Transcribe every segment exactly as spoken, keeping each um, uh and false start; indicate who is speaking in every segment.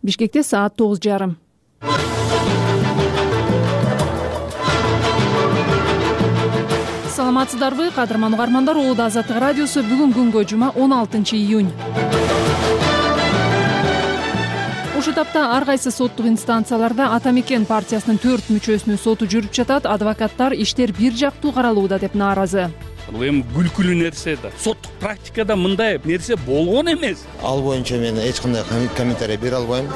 Speaker 1: Бишкекте саат тогуз жарым. Саламатсыздарбы, кадырман угармандар? Улуу Азаттык радиосу бүгүн күнгө жума он алтынчы июнь. Ушул тапта ар кайсы соттук инстанцияларда Ата Мекен партиясынын төрт мүчөсүнүн соту жүрүп жатат. Адвокаттар иштер бир жактуу каралууда деп нааразы.
Speaker 2: Бул эми күлкүлүү нерсе да. Соттук практикада мындай нерсе болгон эмес.
Speaker 3: Ал боюнча мен эч кандай комментарий бере албайм.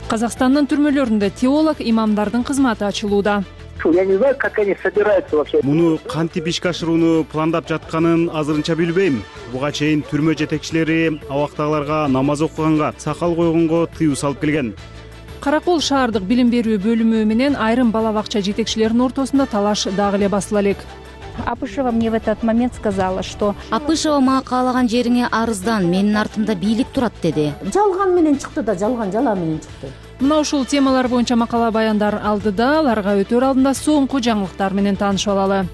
Speaker 1: Казакстандын түрмөлөрүндө теолог имамдардын кызматы ачылууда.
Speaker 4: Я не знаю, как они собираются вообще.
Speaker 5: Муну кантип ишке ашырууну пландап жатканын азырынча билбейм. Буга чейин түрмө жетекчилери абактагыларга намаз окуганга, сакал койгонго тыюу салып келген.
Speaker 1: Каракол шаардык билим берүү бөлүмү менен айрым бала бакча жетекчилеринин ортосунда талаш дагы эле басыла элек.
Speaker 6: Апышева мне в этот момент сказала, что
Speaker 7: Апышева мага каалаган жериңе арыздан, менин артымда бийлик турат деди.
Speaker 8: Жалган менен чыкты да, жалган жала менен чыкты.
Speaker 1: Мына ушул темалар боюнча макала баяндар алдыда, аларга өтөр алдында соңку жаңылыктар менен таанышып алалы.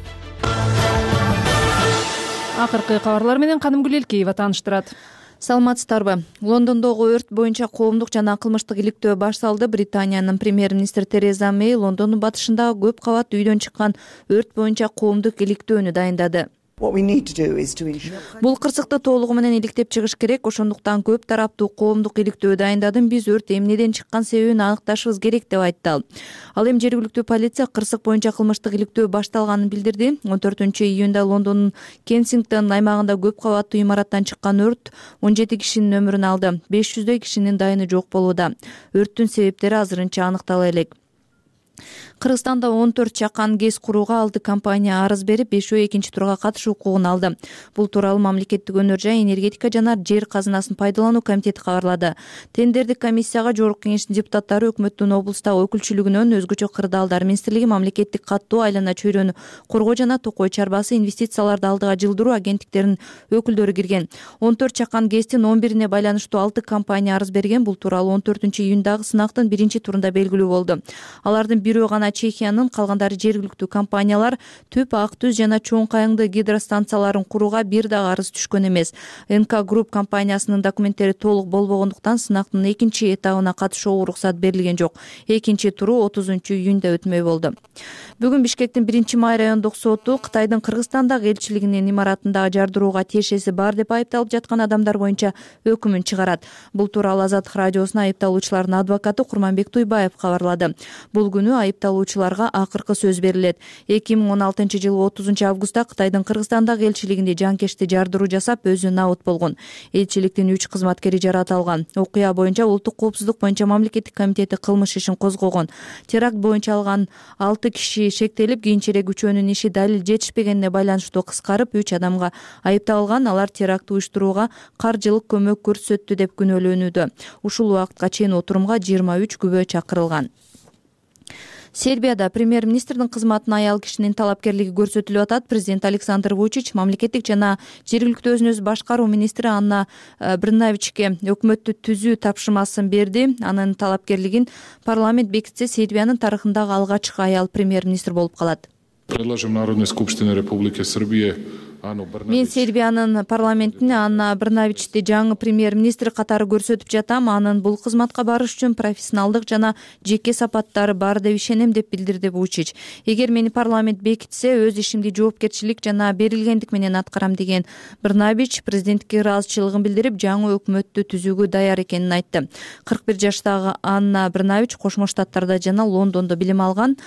Speaker 1: Акыркы кабарлар менен Канымгүл Элкеева тааныштырат.
Speaker 9: Саламатсыздарбы? Лондондогу өрт боюнча коомдук жана кылмыштык иликтөө баш салды. Британиянын премьер-министри Тереза Мэй Лондондун батышындагы көп кабат үйдөн чыккан өрт боюнча коомдук иликтөөнү дайындады. Бул кырсыкты толугу менен иликтеп чыгыш керек. Ошондуктан көп тараптуу коомдук иликтөө дайындадым. Биз өрт эмнеден чыккан себебин аныкташыбыз керек деп айтты ал. Ал эми жергиликтүү полиция кырсык боюнча кылмыштык иликтөө башталганын билдирди. он төртүнчү июнда Лондондун Кенсингтон аймагында көп кабаттуу имараттан чыккан өрт он жети кишинин өмүрүн алды. беш жүздөй кишинин дайыны жок болууда. Өрттүн себептери азырынча аныктала элек. Кыргызстанда он төрт чакан ГЭС курууга алты компания арыз берип, бешөө экинчи турга катышуу укугун алды. Бул тууралуу Мамлекеттик өнөр жай, энергетика жана жер казынасын пайдалануу комитети кабарлады. Тендердик комиссияга Жогорку Кеңештин депутаттары өкмөттүн облустагы өкүлчүлүгүнөн өзгөчө кырдаалдар министрлиги, Мамлекеттик каттоо, айлана чөйрөнү коргоо жана Токой чарбасы, инвестицияларды алдыга жылдыруу агенттиктеринин өкүлдөрү кирген. он төрт чакан ГЭСтин он бирине байланыштуу алты компания арыз берген. Бул тууралуу он төртүнчү июндагы сынактын биринчи турунда белгилүү болду. Алардын бирөө гана Чехиянын, калгандары жергиликтүү компаниялар. Төп Ак Түз жана Чоң Кайыңды гидростанцияларын курууга бир дагы арыз түшкөн эмес. эн ка Групп компаниясынын документтери толук болбогондуктан сынактын экинчи этабына катышууга уруксат берилген жок. Экинчи туру отузунчу июнда өтмөй болду. Бүгүн Бишкектин биринчи май райондук соту Кытайдын Кыргызстандагы элчилигинин имаратындагы жардырууга тиешеси бар деп айыпталып жаткан адамдар боюнча өкүмүн чыгарат. Бул тууралуу Азаттык радиосуна айыпталуучулардын адвокаты Курманбек Туйбаев кабарлады. Бул күнү айыпталуучуларга акыркы сөз берилет. эки миң он алтынчы жылы отузунчу августта Кытайдын Кыргызстандагы элчилигинде жанкечти жардыруу жасап, өзү набыт болгон. Элчиликтин үч кызматкери жаратылган. Окуя боюнча Улуттук коопсуздук боюнча Мамлекеттик комитети кылмыш ишин козгогон. Теракт боюнча алган алты киши шектелип, кийинчерээк үчөөнүн иши далил жетишпегенине байланыштуу кыскарып, үч адамга айыпталган. Алар теракт уюштурууга каржылык көмөк көрсөттү деп күнөөлөнүүдө. Ушул убакытка чейин отурумга жыйырма үч күбө чакырылган. Сербияда премьер-министрдин кызматына аял кишинин талапкерлиги көрсөтүлүп атат. Президент Александр Вучич мамлекеттик жана жергиликтүү өзүн өзү башкаруу министри Анна Брнавичке өкмөттү түзүү тапшырмасын берди. Анын талапкерлигин парламент бекитсе, Сербиянын тарыхындагы алгачкы аял премьер-министр болуп калат.
Speaker 10: Предложим Народной Скупштине Республики Сербия
Speaker 9: Мен Сербиянын парламентине Анна Брнавичти жаңы премьер-министр катары көрсөтүп жатам. Анын бул кызматка барыш үчүн профессионалдык жана жеке сапаттары бар деп ишенем, деп билдирди Вучич. Эгер мени парламент бекитсе, өз ишимди жоопкерчилик жана берилгендик менен аткарам деген Брнавич президенттикке ыраазычылыгын билдирип, жаңы өкмөттү түзүүгө даяр экенин айтты. кырк бир жаштагы Анна Брнавич Кошмо Штаттарда жана Лондондо билим алган.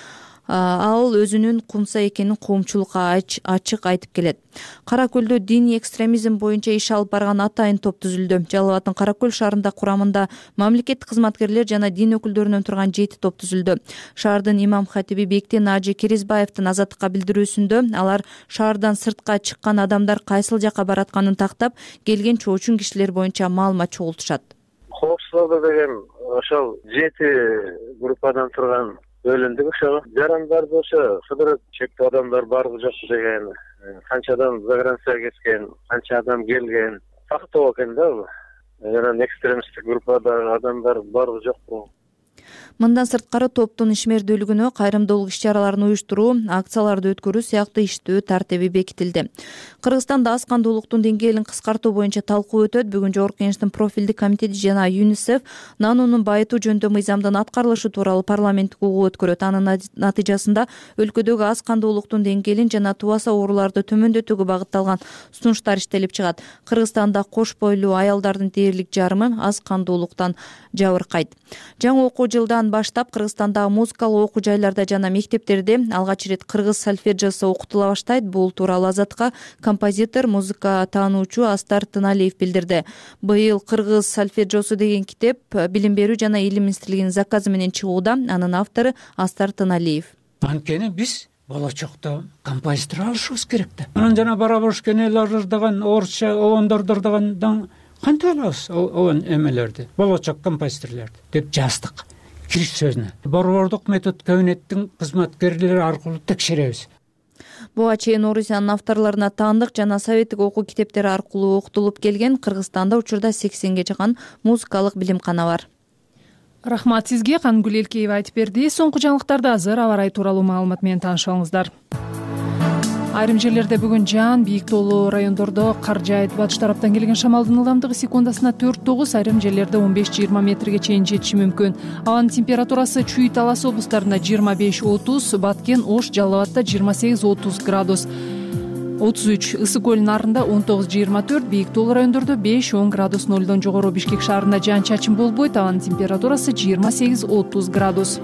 Speaker 9: Ал өзүнүн кумса экенин коомчулукка ачык айтып келет. Кара Көлдө диний экстремизм боюнча иш алып барган атайын топ түзүлдү. Жалал Абадтын Кара Көл шаарында курамында мамлекеттик кызматкерлер жана дин өкүлдөрүнөн турган жети топ түзүлдү. Шаардын имам хатиби Бектен Ажы Керезбаевдин Азаттыкка билдирүүсүндө алар шаардан сыртка чыккан адамдар кайсыл жакка баратканын тактап, келген чоочун кишилер боюнча маалымат чогултушат.
Speaker 4: Коопсуздук деген ошол жети группадан турган бөлүндүк. Ошо жарандарды ошо кыдырып чектүү адамдар барбы жокпу деген, канча адам загранцияга кеткен, канча адам келген тактоо экен да. Жана экстремисттик группадагы адамдар барбы жокпу.
Speaker 9: Мындан сырткары топтун ишмердүүлүгүнө, кайрымдуулук иш-чараларын уюштуруу, акцияларды өткөрүү сыяктуу иштөө тартиби бекитилди. Кыргызстанда аз кандуулуктун деңгээлин кыскартуу боюнча талкуу өтөт. Бүгүн Жогорку Кеңештин профилдик комитети жана ЮНИСЕФ нанунун байытуу жөнүндө мыйзамдын аткарылышы тууралуу парламенттик угуу өткөрөт. Анын натыйжасында өлкөдөгү аз кандуулуктун деңгээлин жана тубаса ооруларды төмөндөтүүгө багытталган сунуштар иштелип чыгат. Кыргызстанда кош бойлуу аялдардын дээрлик жарымы аз кандуулуктан жабыркайт. Жаңы окуу жылдан баштап Кыргызстандагы музыкалык окуу жайларда жана мектептерде алгач ирет кыргыз сольфеджиосу окутула баштайт. Бул тууралуу Азатка композитор, музыка таануучу Астар Тыналиев билдирди. Быйыл кыргыз сольфеджиосу деген китеп Билим берүү жана илим министрлигинин заказы менен чыгууда. Анын автору Астар Тыналиев.
Speaker 11: Анткени биз болочокто композитор алышыбыз керек да. Анан жана барабошкенелер деген орусча обондордор деген кантип алабыз обон эмелерди, болочок композиторлорду деп жаздык. Кириш сөзүнө борбордук метод кабинеттин кызматкерлери аркылуу текшеребиз.
Speaker 9: Буга чейин Орусиянын авторлоруна таандык жана советтик окуу китептери аркылуу окутулуп келген. Кыргызстанда учурда сексенге жакын музыкалык билимкана бар.
Speaker 1: Рахмат сизге. Кангүл Элкеева айтып берди. Соңку жаңылыктарда азыр аба ырайы тууралуу маалымат менен таанышыңыздар. Айрым жерлерде бүгүн жаан, бийик тоолуу райондордо кар жаайт. Батыш тараптан келген шамалдын ылдамдыгы секундасына төрт тогуз, айрым жерлерде он беш жыйырма метрге чейин жетиши мүмкүн. Абанын температурасы Чүй, Талас облустарында жыйырма беш отуз, Баткен, Ош, Жалал Абадта жыйырма сегиз отуз градус. отуз үч, Ысык көл нарында он тогуз жыйырма төрт, бийик тоолуу райондордо беш он градус нолдон жогору. Бишкек шаарында жаан чачын болбойт. Абанын температурасы жыйырма сегиз отуз градус.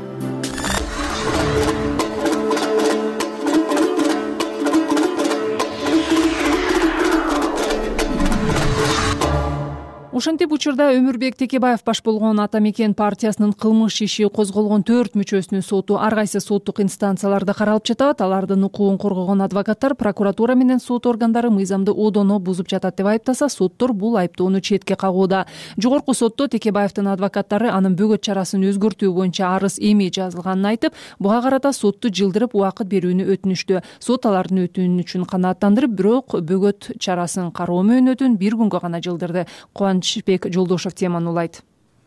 Speaker 1: Ошентип учурда Өмүрбек Текебаев баш болгон Ата Мекен партиясынын кылмыш иши козголгон төрт мүчөсүнүн соту ар кайсы соттук инстанцияларда каралып жатат. Алардын укугун коргогон адвокаттар прокуратура менен сот органдары мыйзамды одоно бузуп жатат деп айыптаса, соттор бул айыптоону четке кагууда. Жогорку сотто Текебаевдин адвокаттары анын бөгөт чарасын өзгөртүү боюнча арыз эми жазылганын айтып, буга карата сотту жылдырып убакыт берүүнү өтүнүштү. Сот алардын өтүнүчүн канааттандырып, бирок бөгөт чарасын кароо мөөнөтүн бир күнгө гана жылдырды. Кубанычбек Жолдошев теманы улайт.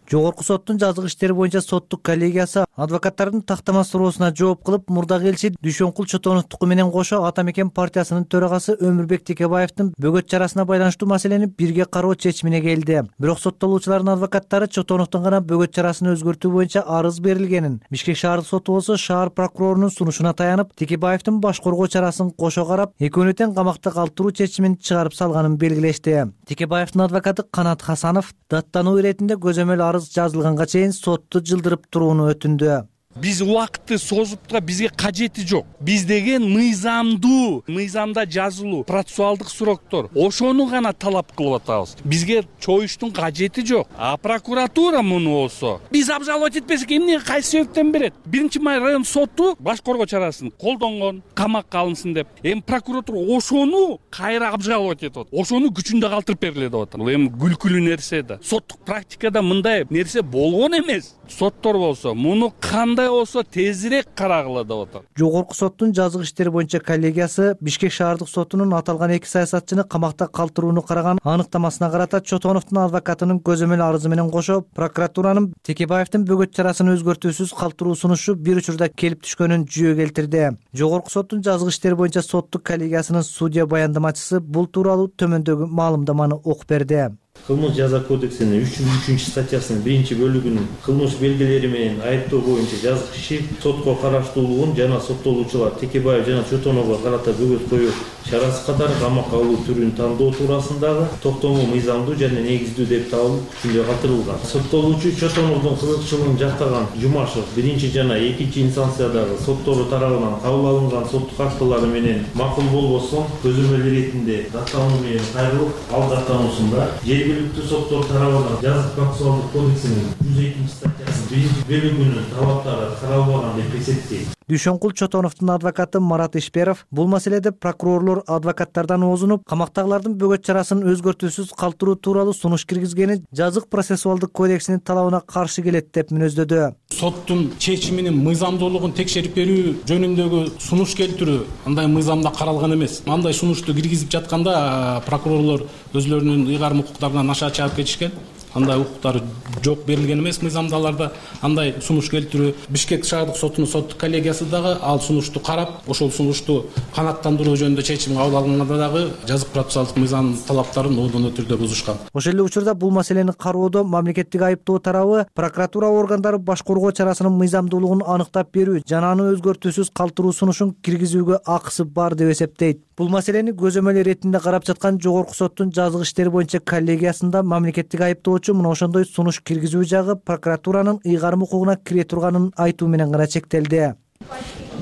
Speaker 12: Жогорку соттун жазык иштери боюнча соттук коллегиясы адвокаттардын тактама суроосуна жооп кылып, мурдагы элчи Дүйшөнкул Чотоновдуку менен кошо Ата Мекен партиясынын төрагасы Өмүрбек Текебаевдин бөгөт чарасына байланыштуу маселени бирге кароо чечимине келди. Бирок соттолуучулардын адвокаттары Чотоновдун гана бөгөт чарасын өзгөртүү боюнча арыз берилгенин, Бишкек шаардык соту болсо шаар прокурорунун сунушуна таянып, Текебаевдин баш коргоо чарасын кошо карап, экөөнү тең камакта калтыруу чечимин чыгарып салганын белгилешти. Текебаевдин адвокаты Канат Хасанов даттануу иретинде көзөмөл арыз жазылганга чейин сотту жылдырып турууну өтүндү.
Speaker 2: Биз убакытты созуптка бизге кажети жок. Биз деген мыйзамдуу, мыйзамда жазылуу процессуалдык суроктор. Ошону гана талап кылып атабыз. Бизге чоюштун кажети жок. А прокуратура муну болсо, биз обжаловать этпесек эмне кайсы себептен берет? Биринчи май район соту баш коргоо чарасын колдонгон, камакка алынсын деп. Эми прокуратура ошону кайра обжаловать этип атат. Ошону күчүндө калтырып бергиле деп атат. Бул эми күлкүлүү нерсе да. Соттук практикада мындай нерсе болгон эмес. Соттор болсо муну кандай болсо тезирээк карагыла деп атат.
Speaker 12: Жогорку соттун жазык иштери боюнча коллегиясы Бишкек шаардык сотунун аталган эки саясатчыны камакта калтырууну караган аныктамасына карата Чотоновдун адвокатынын көзөмөл арызы менен кошо прокуратуранын Текебаевдин бөгөт чарасын өзгөртүүсүз калтыруу сунушу бир учурда келип түшкөнүн жүйө келтирди. Жогорку соттун жазык иштери боюнча соттук коллегиясынын судья баяндамачысы бул тууралуу төмөндөгү маалымдаманы окуп берди.
Speaker 13: Кылмыш жаза кодексинин үч жүз үчүнчү статьясынын биринчи бөлүгүнүн кылмыш белгилери менен айыптоо боюнча жазык иши сотко караштуулугун жана соттолуучулар Текебаев жана Чотоновго карата бөгөт коюу чарасы катары камакка алуу түрүн тандоо туурасындагы токтому мыйзамдуу жана негиздүү деп табылып күчүндө калтырылган. Соттолуучу Чотоновдун кызыкчылыгын жактаган Жумашев биринчи жана экинчи инстанциядагы соттору тарабынан кабыл алынган соттук актылары менен макул болбосо көзөмөл иретинде даттануу менен кайрылып, ал даттануусунда жергиликтүү соттор тарабынан жазык процессуалдык кодексинин жүз экинчи статьясынын биринчи бөлүгүнүн талаптары каралбаган деп эсептейт.
Speaker 12: Дүйшөнкул Чотоновдун адвокаты Марат Ишперов бул маселеде прокурорлор адвокаттардан оозунуп, камактагылардын бөгөт чарасын өзгөртүүсүз калтыруу тууралуу сунуш киргизгени жазык процессуалдык кодексинин талабына каршы келет деп мүнөздөдү.
Speaker 14: Соттун чечиминин мыйзамдуулугун текшерип берүү жөнүндөгү сунуш келтирүү андай мыйзамда каралган эмес. Андай сунушту киргизип жатканда прокурорлор өзлөрүнүн ыйгарым укуктарынан аша чыгып кетишкен. андай укуктар жок, берилген эмес мыйзамдаларда. Андай сунуш келтирүү Бишкек шаардык сотунун соттук коллегиясы дагы ал сунушту карап, ошол сунушту канааттандыруу жөнүндө чечим кабыл алганда дагы жазык процессуалдык мыйзам талаптарын оодоно түрдө бузушкан.
Speaker 12: Ошол эле учурда бул маселени кароодо мамлекеттик айыптоо тарабы прокуратура органдары баш коргоо чарасынын мыйзамдуулугун аныктап берүү жана аны өзгөртүүсүз калтыруу сунушун киргизүүгө акысы бар деп эсептейт. Бул маселени көзөмөл иретинде карап жаткан жогорку соттун жазык иштери боюнча коллегиясында мамлекеттик айыптоочу мына ошондой сунуш киргизүү жагы прокуратуранын ыйгарым укугуна кире турганын айтуу менен гана чектелди.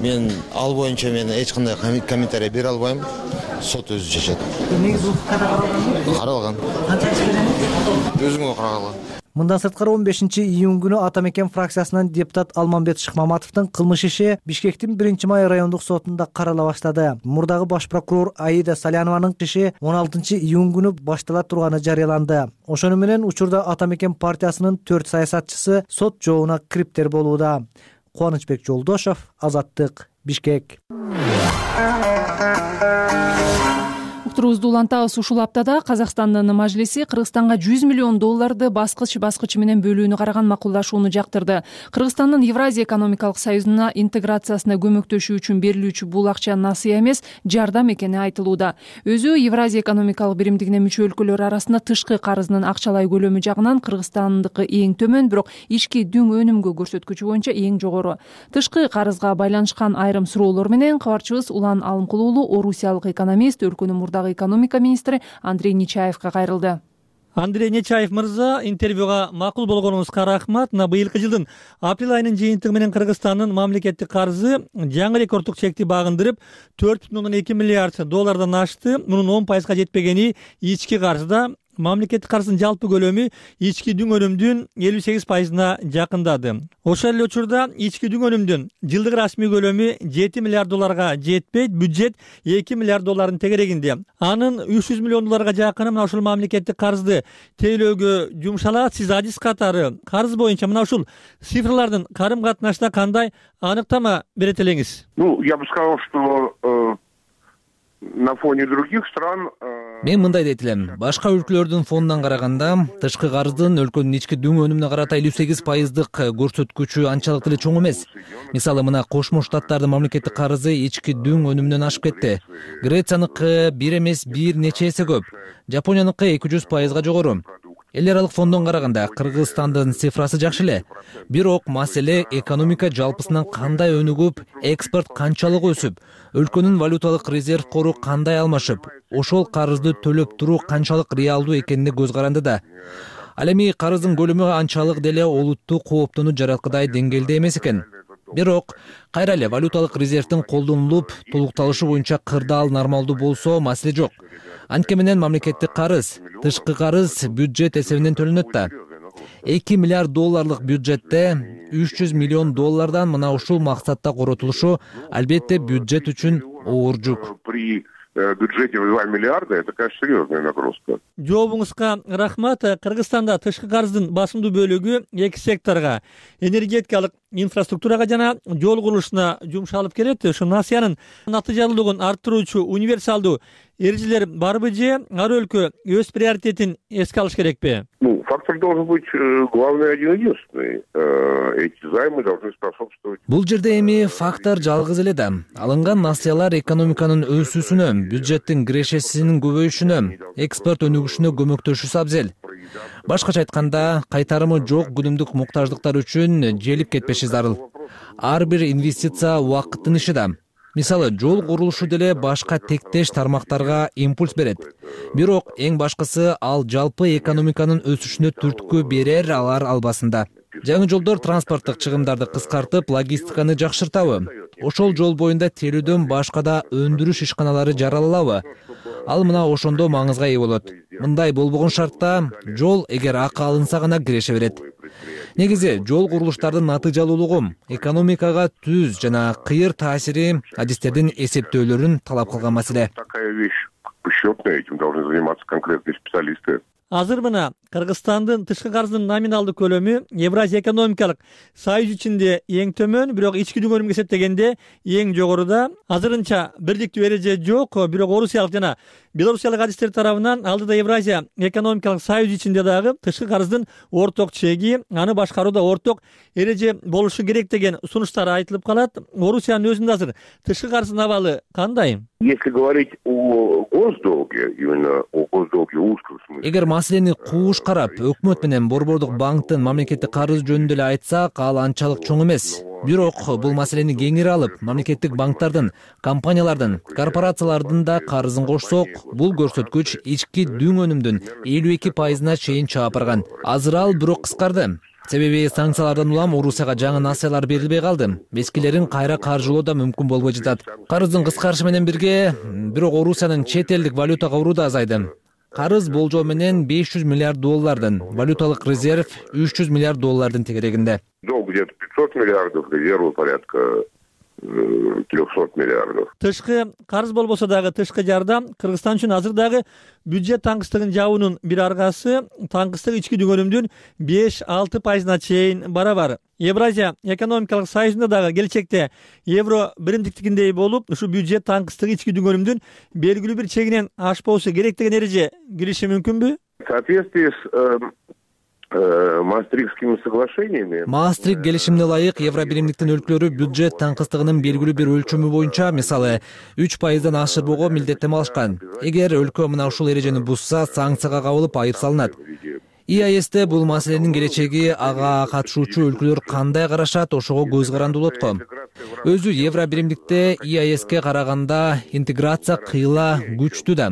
Speaker 3: Мен ал боюнча мен эч кандай комментарий бере албайм. Сот өзү чечет.
Speaker 12: Негизи укукка да каралган?
Speaker 3: Каралган.
Speaker 12: Канча иш берет?
Speaker 3: Өзүңө каралган.
Speaker 12: Мындан сырткары он бешинчи июнь күнү Ата Мекен фракциясынан депутат Алмамбет Шыкмаматовдун кылмыш иши Бишкектин биринчи май райондук сотунда карала баштады. Мурдагы баш прокурор Аида Салянованын иши он алтынчы июнь күнү баштала турганы жарыяланды. Ошону менен учурда Ата Мекен партиясынын төрт саясатчысы сот жообуна кириптер болууда. Кубанычбек Жолдошов, Азаттык, Бишкек.
Speaker 1: Уктуруубузду улантабыз. Ушул аптада Казакстандын мажлиси Кыргызстанга жүз миллион долларды баскыч баскычы менен бөлүүнү караган макулдашууну жактырды. Кыргызстандын Евразия экономикалык союзуна интеграциясына көмөктөшүү үчүн берилүүчү бул акча насыя эмес, жардам экени айтылууда. Өзү Евразия экономикалык биримдигине мүчө өлкөлөр арасында тышкы карыздын акчалай көлөмү жагынан Кыргызстандыкы эң төмөн, бирок ички дүң өнүмгө көрсөткүчү боюнча эң жогору. Тышкы карызга байланышкан айрым суроолор менен кабарчыбыз Улан Алымкул уулу орусиялык экономист, өлкөнүн мурдагы экономика министри Андрей Нечаевга кайрылды.
Speaker 15: Андрей Нечаев мырза, интервьюга макул болгонуңузга рахмат. На быйылкы жылдын апрель айынын жыйынтыгы менен Кыргызстандын мамлекеттик карызы жаңы рекорддук чекти багындырып, төрт бүтүн ондон эки миллиард доллардан ашты. Мунун он пайызга жетпегени ички карызда. Мамлекеттик карыздын жалпы көлөмү ички дүң өнүмдүн элүү сегиз пайызына жакындады. Ошол эле учурда ички дүң өнүмдүн жылдык расмий көлөмү жети миллиард долларга жетпейт, бюджет эки миллиард доллардын тегерегинде. Анын үч жүз миллион долларга жакыны мына ушул мамлекеттик карызды тейлөөгө жумшалат. Сиз адис катары карыз боюнча мына ушул цифрлардын карым катнашына кандай аныктама берет элеңиз?
Speaker 16: Ну, я бы сказал, что на фоне других стран.
Speaker 17: Мен мындай дейт элем. Башка өлкөлөрдүн фонунан караганда тышкы карыздын өлкөнүн ички дүң өнүмүнө карата элүү сегиз пайыздык көрсөткүчү анчалык деле чоң эмес. Мисалы, мына Кошмо Штаттардын мамлекеттик карызы ички дүң өнүмүнөн ашып кетти. Грецияныкы бир эмес бир нече эсе көп. Жапонияныкы эки жүз пайызга жогору. Эл аралык фондон караганда Кыргызстандын цифрасы жакшы эле. Бирок маселе экономика жалпысынан кандай өнүгүп, экспорт канчалык өсүп, өлкөнүн валюталык резерв кору кандай алмашып, ошол карызды төлөп туруу канчалык реалдуу экенине көз каранды да. Ал эми карыздын көлөмү анчалык деле олуттуу кооптууну жараткыдай деңгээлде эмес экен. Бирок кайра эле валюталык резервдин колдонулуп, толукталышы боюнча кырдаал нормалдуу болсо маселе жок. Анткени менен мамлекеттик карыз, тышкы карыз бюджет эсебинен төлөнөт да. эки миллиард долларлык бюджетте үч жүз миллион доллардан мына ушул максатта коротулушу албетте бюджет үчүн оор жүк.
Speaker 16: При бюджете в два миллиарда это, конечно, серьезная нагрузка.
Speaker 15: Жообуңузга рахмат. Кыргызстанда тышкы карыздын басымдуу бөлүгү эки секторго, энергетикалык инфраструктурага жана жол курулушуна жумшалып келет. Ушу насыянын натыйжалуулугун арттыруучу универсалдуу эрежелер барбы же ар өлкө өз приоритетин эске алыш керекпи?
Speaker 16: Ну, фактор должен быть главный один единственный. Эти займы должны способствовать.
Speaker 17: Бул жерде эми фактор жалгыз эле да. Алынган насыялар экономиканын өсүүсүнө, бюджеттин кирешесинин көбөйүшүнө, экспорт өнүгүшүнө көмөктөшүүсү абзел. Башкача айтканда, кайтарымы жок күнүмдүк муктаждыктар үчүн желип кетпеши зарыл. Ар бир инвестиция убакыттын иши да. Мисалы, жол курулушу деле башка тектеш тармактарга импульс берет. Бирок эң башкысы ал жалпы экономиканын өсүшүнө түрткү берер, алар албасында. Жаңы жолдор транспорттук чыгымдарды кыскартып, логистиканы жакшыртабы? Ошол жол боюнда телүүдөн башка да өндүрүш ишканалары жаралалабы? Ал мына ошондо маңызга ээ болот. Мындай болбогон шартта жол эгер акы алынса гана киреше берет. Негизи жол курулуштардын натыйжалуулугу, экономикага түз жана кыйыр таасири адистердин эсептөөлөрүн талап кылган маселе.
Speaker 16: Такая вещь счетная, этим должны заниматься конкретные специалисты.
Speaker 15: азыр мына Кыргызстандын тышкы карыздын номиналдык көлөмү Евразия экономикалык союз ичинде эң төмөн, бирок ички дүңгөнүмгө эсептегенде эң жогоруда. Азырынча бирликтүү эреже жок, бирок орусиялык жана белорусиялык адистер тарабынан алдыда Евразия экономикалык союз ичинде дагы тышкы карыздын орток чеги, аны башкарууда орток эреже болушу керек деген сунуштар айтылып калат. Орусиянын өзүндө азыр тышкы карыздын абалы кандай?
Speaker 16: Если говорить о госдолге, именно о госдолге в узком смысле.
Speaker 17: Эгер маселени кууш карап, өкмөт менен Борбордук банктын мамлекеттик карыз жөнүндө эле айтсак, ал анчалык чоң эмес. Бирок бул маселени кеңири алып, мамлекеттик банктардын, компаниялардын, корпорациялардын да карызын кошсок, бул көрсөткүч ички дүң өнүмдүн элүү эки пайызына чейин чыга барган. Азыр ал бирок кыскарды. Себеби санкциялардан улам Орусияга жаңы насыялар берилбей калды. Бескилерин кайра каржылоо да мүмкүн болбой жатат. Карыздын кыскарышы менен бирге, бирок Орусиянын чет элдик валютага уруу да азайды. Карыз болжол менен беш жүз миллиард доллардын, валюталык резерв үч жүз миллиард доллардын тегерегинде.
Speaker 16: Долг где-то пятьсот миллиардов, резервы порядка трехсот миллиардов.
Speaker 15: Тышкы карыз болбосо дагы тышкы жардам Кыргызстан үчүн азыр дагы бюджет таңкыстыгын жабуунун бир аргасы. Таңкыстык ички дүңгөнүмдүн беш алты пайызына чейин барабар. Евразия экономикалык союзунда дагы келечекте евро биримдиктигиндей болуп, ушу бюджет таңкыстыгы ички дүңгөнүмдүн белгилүү бир чегинен ашпоосу керек деген эреже кириши мүмкүнбү?
Speaker 16: В соответствии с Маастрихтскими соглашениями.
Speaker 17: Маастрихт келишимине ылайык Евробиримдиктин өлкөлөрү бюджет таңкыстыгынын белгилүү бир өлчөмү боюнча, мисалы, үч пайыздан ашырбоого милдеттеме алышкан. Эгер өлкө мына ушул эрежени бузса, санкцияга кабылып айып салынат. И А Эсте бул маселенин келечеги, ага катышуучу өлкөлөр кандай карашат, ошого көз карандуу болот го. Өзү Евробиримдикте И А Эске караганда интеграция кыйла күчтүү да.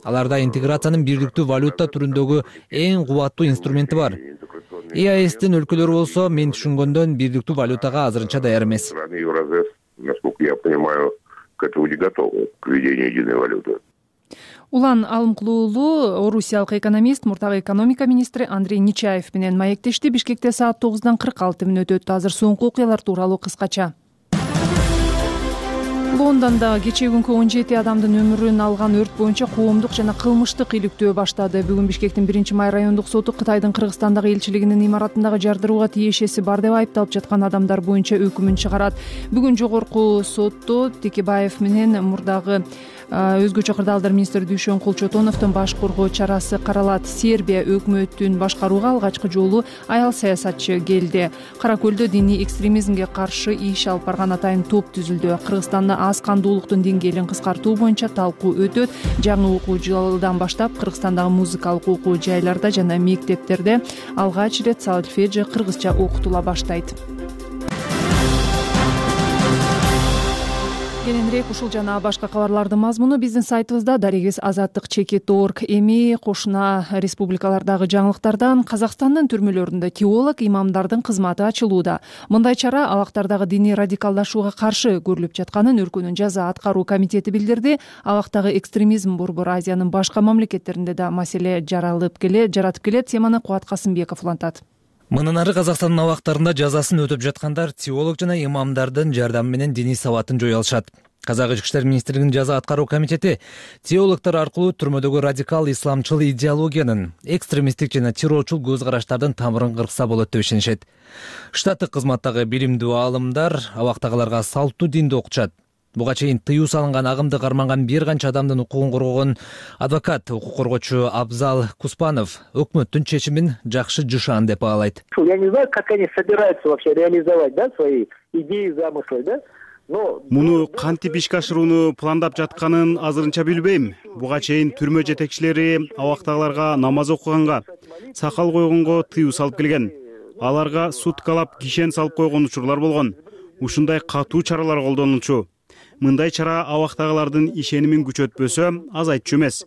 Speaker 17: Аларда интеграциянын бирликтүү валюта түрүндөгү эң кубаттуу инструменти бар. И А Эстин өлкөлөрү болсо, мен түшүнгөндөн бирликтүү валютага азырынча даяр эмес.
Speaker 16: Насколько я понимаю, к этому не готовы, к введению единой валюты.
Speaker 1: Улан Алымкулуу орусиялык экономист, мурдагы экономика министри Андрей Нечаев менен маектешти. Бишкекте саат тогуздан кырк алты мүнөт өттү. Азыр соңку окуялар тууралуу кыскача. Лондондо кечээ күнкү он жети адамдын өмүрүн алган өрт боюнча коомдук жана кылмыштык иликтөө баштады. Бүгүн Бишкектин биринчи май райондук соту Кытайдын Кыргызстандагы элчилигинин имаратындагы жардырууга тиешеси бар деп айыпталып жаткан адамдар боюнча өкүмүн чыгарат. Бүгүн жогорку сотто Текебаев менен мурдагы өзгөчө кырдаалдар министри Дүйшөнкул Чотоновдун баш коргоо чарасы каралат. Сербия өкмөтүн башкарууга алгачкы жолу аял саясатчы келди. Кара Көлдө диний экстремизмге каршы иш алып барган атайын топ түзүлдү. Кыргызстанда аз кандуулуктун деңгээлин кыскартуу боюнча талкуу өтөт. Жаңы окуу жылынан баштап Кыргызстандагы музыкалык окуу жайларда жана мектептерде алгач ирет сольфеджи кыргызча окутула баштайт. Кененирээк ушул жана башка кабарлардын мазмуну биздин сайтыбызда. Дарегиз азаттык чекит точка орг. Эми кошуна республикалардагы жаңылыктардан Казакстандын түрмөлөрүндө теолог имамдардын кызматы ачылууда. Мындай чара абактардагы диний радикалдашууга каршы көрүлүп жатканын өлкөнүн жаза аткаруу комитети билдирди. Абактагы экстремизм Борбор Азиянын башка мамлекеттеринде да маселе жаралып келет, жаратып келет. Теманы Кубат Касымбеков улантат.
Speaker 17: Мындан ары Казакстандын абактарында жазасын өтөп жаткандар теолог жана имамдардын жардамы менен диний сабатын жое алышат. Казак ички иштер министрлигинин жаза аткаруу комитети теологдор аркылуу түрмөдөгү радикал исламчыл идеологиянын, экстремисттик жана террорчул көз караштардын тамырын кыркса болот деп ишенишет. Штаттык кызматтагы билимдүү аалымдар абактагыларга салттуу динди окутушат. Буга чейин тыюу салынган агымды карманган бир канча адамдын укугун коргогон адвокат, укук коргоочу Абзал Куспанов өкмөттүн чечимин жакшы жышаан деп баалайт.
Speaker 18: Я не знаю, как они собираются вообще реализовать, да, свои идеи, замыслы, да?
Speaker 5: Муну кантип ишке ашырууну пландап жатканын азырынча билбейм. Буга чейин түрмө жетекчилери абактагыларга намаз окуганга, сакал койгонго тыюу салып келген. Аларга суткалап кишен салып койгон учурлар болгон. Ушундай катуу чаралар колдонулчу. Мындай чара абактагылардын ишенимин күчөтпөсө азайтчу эмес.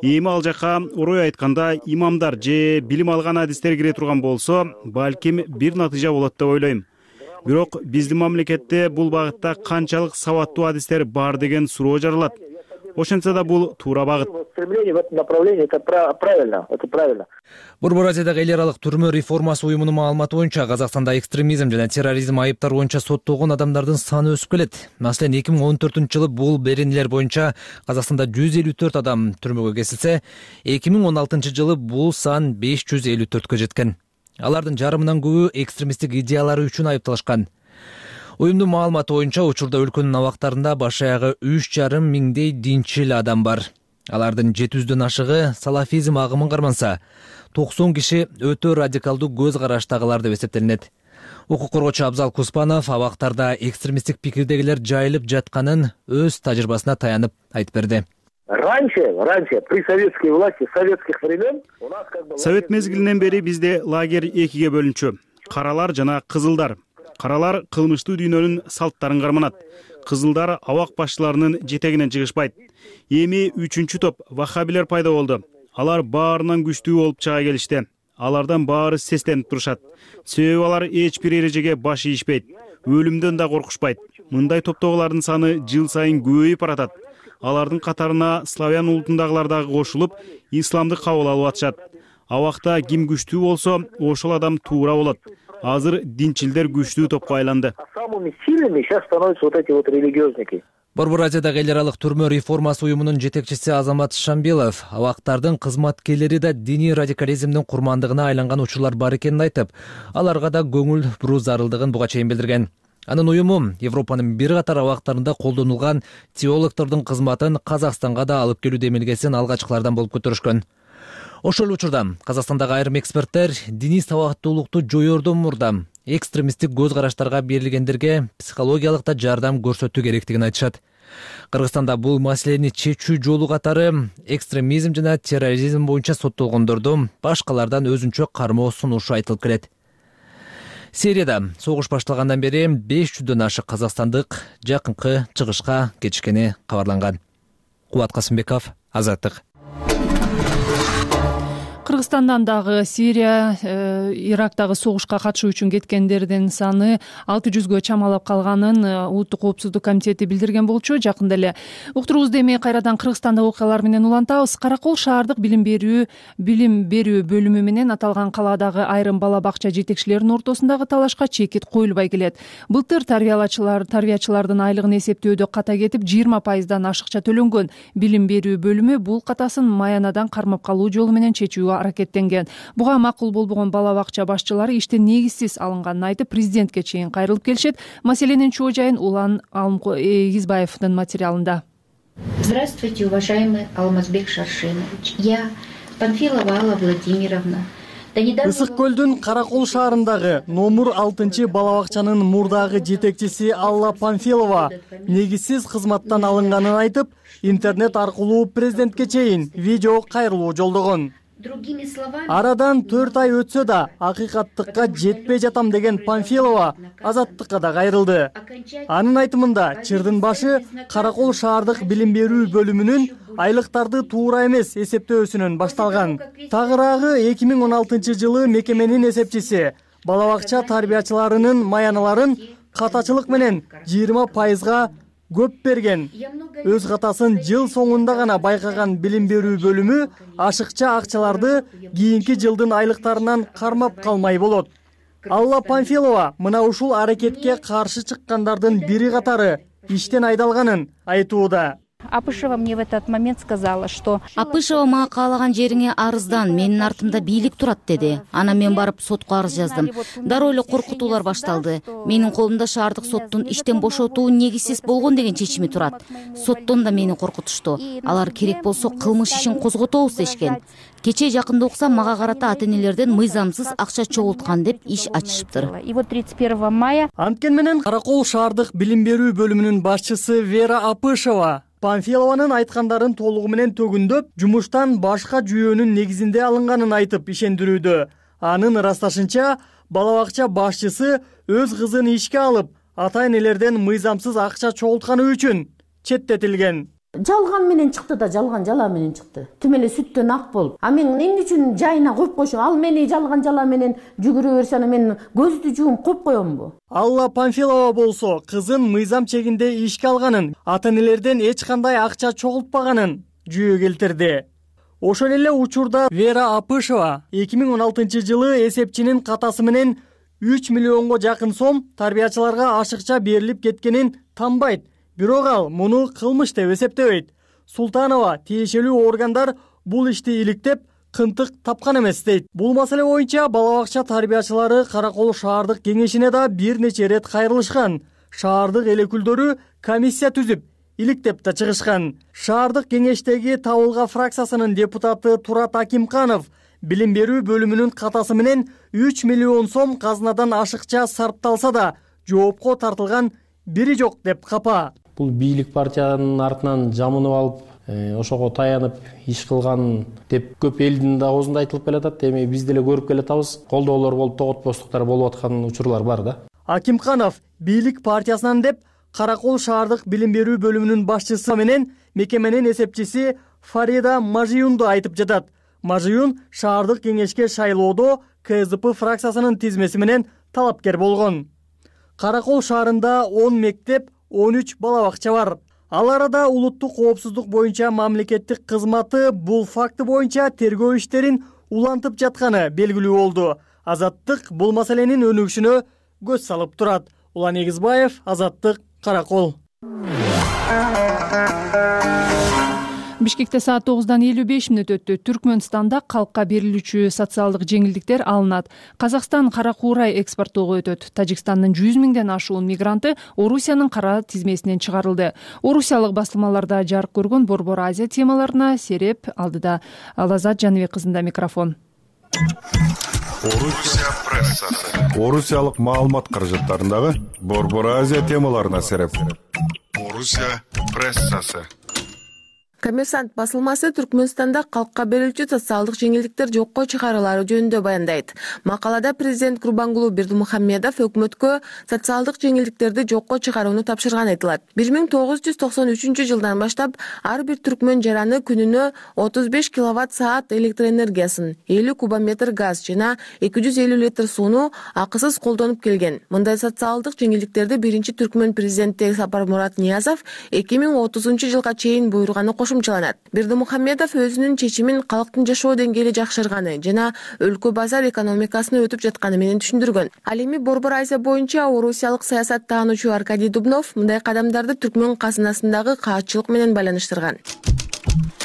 Speaker 5: Эми ал жака орой айтканда имамдар же билим алган адистер кире турган болсо, балким бир натыйжа болот деп ойлойм. Бирок биздин мамлекетте бул багытта канчалык сабаттуу адистер бар деген суроо жаралат. ошентсе да бул туура багыт.
Speaker 18: Стремление в этом направлении это правильно, это правильно.
Speaker 17: Борбор Азиядагы эл аралык түрмө реформасы уюмунун маалыматы боюнча Казакстанда экстремизм жана терроризм айыптары боюнча соттолгон адамдардын саны өсүп келет. Маселен, эки миң он төртүнчү жылы бул беренелер боюнча Казакстанда жүз элүү төрт адам түрмөгө кесилсе, эки миң он алтынчы жылы бул сан беш жүз элүү төрткө жеткен. Алардын жарымынан көбү экстремисттик идеялары үчүн айыпталышкан. Уюмдун маалыматы боюнча учурда өлкөнүн абактарында баш аягы үч жарым миңдей динчил адам бар. Алардын жети жүздөн ашыгы салафизм агымын карманса, токсон киши өтө радикалдуу көз караштагылар деп эсептелинет. Укук коргоочу Абзал Куспанов абактарда экстремисттик пикирдегилер жайылып жатканын өз тажрыйбасына таянып айтып берди.
Speaker 18: Раньше, раньше, при советской власти, советских времен у нас как бы...
Speaker 5: Совет мезгилинен бери бизде лагерь экиге бөлүнчү. Каралар жана кызылдар. Каралар кылмыштуу дүйнөнүн салттарын карманат. Кызылдар абак башчыларынын жетегинен чыгышпайт. Эми үчүнчү топ ваххабилер пайда болду. Алар баарынан күчтүү болуп чыга келишти. Алардан баары сестенип турушат. Себеби алар эч бир эрежеге баш ийишпейт. Өлүмдөн да коркушпайт. Мындай топтогулардын саны жыл сайын көбөйүп баратат. Алардын катарына славян улутундагылар дагы кошулуп, исламды кабыл алып атышат. Абакта ким күчтүү болсо, ошол адам туура болот. Азыр динчилдер күчтүү топко айланды.
Speaker 18: Самыми сильными сейчас становятся вот эти вот религиозники.
Speaker 17: Борбор Азиядагы эл аралык түрмө реформасы уюмунун жетекчиси Азамат Шамбилов абактардын кызматкерлери да диний радикализмдин курмандыгына айланган учурлар бар экенин айтып, аларга да көңүл буруу зарылдыгын буга чейин билдирген. Анын уюму Европанын бир катар абактарында колдонулган теологдордун кызматын Казакстанга да алып келүү демилгесин алгачкылардан болуп көтөрүшкөн. Ошол учурда Казакстандагы айрым эксперттер диний сабаттуулукту жоёрдон мурда экстремисттик көз караштарга берилгендерге психологиялык да жардам көрсөтүү керектигин айтышат. Кыргызстанда бул маселени чечүү жолу катары экстремизм жана терроризм боюнча соттолгондорду башкалардан өзүнчө кармоо сунушу айтылып келет. Сирияда согуш башталгандан бери беш жүздөн ашык казакстандык жакынкы чыгышка кетишкени кабарланган. Кубат Касымбеков, Азаттык.
Speaker 1: Кыргызстандан дагы Сирия, э, Ирактагы согушка катышуу үчүн кеткендердин саны алты жүзгө чамалап калганын Улуттук коопсуздук комитети билдирген болчу. Жакында эле уктуруубузду эми кайрадан Кыргызстандагы окуялар менен улантабыз. Каракол шаардык билим берүү билим берүү бөлүмү менен аталган калаадагы айрым бала бакча жетекчилеринин ортосундагы талашка чекит коюлбай келет. Былтыр тарбиялачылар тарбиячылардын айлыгын эсептөөдө ката кетип жыйырма пайыздан ашыкча төлөнгөн. Билим берүү бөлүмү бул катасын маянадан кармап калуу жолу менен чечүүгө аракеттенген. Буга макул болбогон бала бакча башчылары иштен негизсиз алынганын айтып, президентке чейин кайрылып келишет. Маселенин чоо жайын Улан Эгизбаевдин материалында.
Speaker 19: Здравствуйте, уважаемый Алмазбек Шаршенович. Я Панфилова Алла Владимировна.
Speaker 20: Ысык көлдүн Каракол шаарындагы номер алтынчы бала бакчанын мурдагы жетекчиси Алла Панфилова негизсиз кызматтан алынганын айтып, интернет аркылуу президентке чейин видео кайрылуу жолдогон. Арадан төрт ай өтсө да акыйкаттыкка жетпей жатам деген Панфилова Азаттыкка да кайрылды. Анын айтымында чырдын башы Каракол шаардык билим берүү бөлүмүнүн айлыктарды туура эмес эсептөөсүнөн башталган. Тагыраагы эки миң он алтынчы жылы мекеменин эсепчиси бала бакча тарбиячыларынын маяналарын катачылык менен жыйырма пайызга көп берген. Өз катасын жыл соңунда гана байкаган билим берүү бөлүмү ашыкча акчаларды кийинки жылдын айлыктарынан кармап калмай болот. Алла Панфилова мына ушул аракетке каршы чыккандардын бири катары иштен айдалганын айтууда.
Speaker 6: Апышева мне в этот момент сказала, что...
Speaker 7: Апышева мага каалаган жериңе арыздан, менин артымда бийлик турат деди. Анан мен барып сотко арыз жаздым. Дароо эле коркутуулар башталды. Менин колумда шаардык соттун иштен бошотуу негизсиз болгон деген чечими турат. Соттон да мени коркутушту. Алар керек болсо кылмыш ишин козготобуз дешкен. Кечээ жакында уксам мага карата ата энелерден мыйзамсыз акча чогулткан деп иш ачышыптыр.
Speaker 6: И вот тридцать первого мая...
Speaker 20: Анткени менен Каракол шаардык билим берүү бөлүмүнүн башчысы Вера Апышева Панфилованын айткандарын толугу менен төгүндөп, жумуштан башка жүйөнүн негизинде алынганын айтып ишендирүүдө. Анын ырасташынча, бала бакча башчысы өз кызын ишке алып, ата энелерден мыйзамсыз акча чогултканы үчүн четтетилген.
Speaker 8: Жалган менен чыкты да, жалган жала менен чыкты. Тим эле сүттөн ак болуп. А мен эмне үчүн жайына коюп койшум? Ал мени жалган жала менен жүгүрө берсе, аны мен көздү жууп коюп коёмбу?
Speaker 20: Алла Панфилова болсо кызын мыйзам чегинде ишке алганын, ата-энелерден эч кандай акча чогултпаганын жүйө келтирди. Ошол эле учурда Вера Апышева эки миң он алтынчы жылы эсепчинин катасы менен үч миллионго жакын сом тарбиячыларга ашыкча берилип кеткенин танбайт. Бирок ал муну кылмыш деп эсептебейт. Султанова тиешелүү органдар бул ишти иликтеп, кынтык тапкан эмес дейт. Бул маселе боюнча бала бакча тарбиячылары Каракол шаардык кеңешине да бир нече ирет кайрылышкан. Шаардык эл өкүлдөрү комиссия түзүп, иликтеп да чыгышкан. Шаардык кеңештеги Табылга фракциясынын депутаты Турат Акимканов билим берүү бөлүмүнүн катасы менен үч миллион сом казынадан ашыкча сарпталса да, жоопко тартылган бири жок деп капа.
Speaker 21: Бул бийлик партиянын артынан жамынып алып, ошого таянып иш кылган деп көп элдин да оозунда айтылып келатат. Эми биз деле көрүп келатабыз. Колдоолор болуп, тоготпостуктар болуп аткан учурлар бар да.
Speaker 20: Акимканов бийлик партиясынан деп Каракол шаардык билим берүү бөлүмүнүн башчысы менен мекеменин эсепчиси Фарида Мажиюнду айтып жатат. Мажиюн шаардык кеңешке шайлоодо КЗП фракциясынын тизмеси менен талапкер болгон. Каракол шаарында он мектеп, он үч бала бакча бар. Ал арада улуттук коопсуздук боюнча мамлекеттик кызматы бул факты боюнча тергөө иштерин улантып жатканы белгилүү болду. Азаттык бул маселенин өнүгүшүнө көз салып турат. Улан Эгизбаев, Азаттык, Каракол.
Speaker 1: Бишкекте саат тогуздан элүү беш мүнөт өттү. Түркмөнстанда калкка берилүүчү социалдык жеңилдиктер алынат. Казакстан кара куурай экспорттоого өтөт. Тажикстандын жүз миңден ашуун мигранты Орусиянын кара тизмесинен чыгарылды. Орусиялык басылмаларда жарык көргөн Борбор Азия темаларына сереп алдыда. Алазат Жаныбек кызында микрофон.
Speaker 22: Орусия прессасы. Орусиялык маалымат каражаттарындагы Борбор Азия темаларына сереп. Орусия прессасы.
Speaker 23: Коммерсант басылмасы Түркмөнстанда калкка берилүүчү социалдык жеңилдиктер жокко чыгарылары жөнүндө баяндайт. Макалада президент Курбангулуу Бердимухамедов өкмөткө социалдык жеңилдиктерди жокко чыгарууну тапшырганы айтылат. бир миң тогуз жүз токсон үчүнчү жылдан баштап ар бир түркмөн жараны күнүнө отуз беш киловатт саат электр энергиясын, элүү кубометр газ жана эки жүз элүү литр сууну акысыз колдонуп келген. Мындай социалдык жеңилдиктерди биринчи түркмөн президенти Сапармурат Ниязов эки миң отузунчу жылга чейин буйруганы кошумчаланат. Бердимухамедов өзүнүн чечимин калктын жашоо деңгээли жакшырганы жана өлкө базар экономикасына өтүп жатканы менен түшүндүргөн. Ал эми Борбор Азия боюнча орусиялык саясат таануучу Аркадий Дубнов мындай кадамдарды түркмөн казынасындагы каатчылык менен байланыштырган.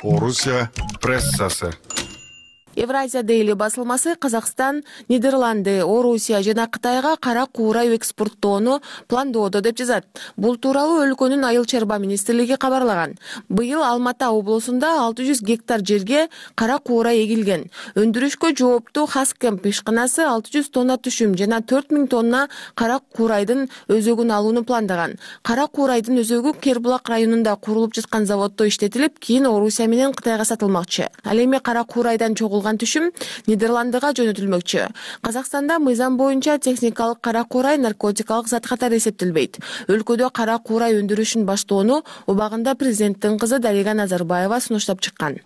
Speaker 22: Орусия прессасы.
Speaker 23: Евразия Дейли басылмасы Казакстан, Нидерланды, Орусия жана Кытайга кара куурай экспорттоону пландоодо деп жазат. Бул тууралуу өлкөнүн айыл чарба министрлиги кабарлаган. Быйыл Алматы облусунда алты жүз гектар жерге кара куурай эгилген. Өндүрүшкө жооптуу Хаскемп ишканасы алты жүз тонна түшүм жана төрт миң тонна кара куурайдын өзөгүн алууну пландаган. Кара куурайдын өзөгү Кербулак районунда курулуп жаткан заводдо иштетилип, кийин Орусия менен Кытайга сатылмакчы. Ал эми кара куурайдан чогулган түшүм Нидерландыга жөнөтүлмөкчү. Казакстанда мыйзам боюнча техникалык кара куурай наркотикалык зат катары эсептелбейт. Өлкөдө кара куурай өндүрүшүн баштоону убагында президенттин кызы Дарига Назарбаева сунуштап чыккан.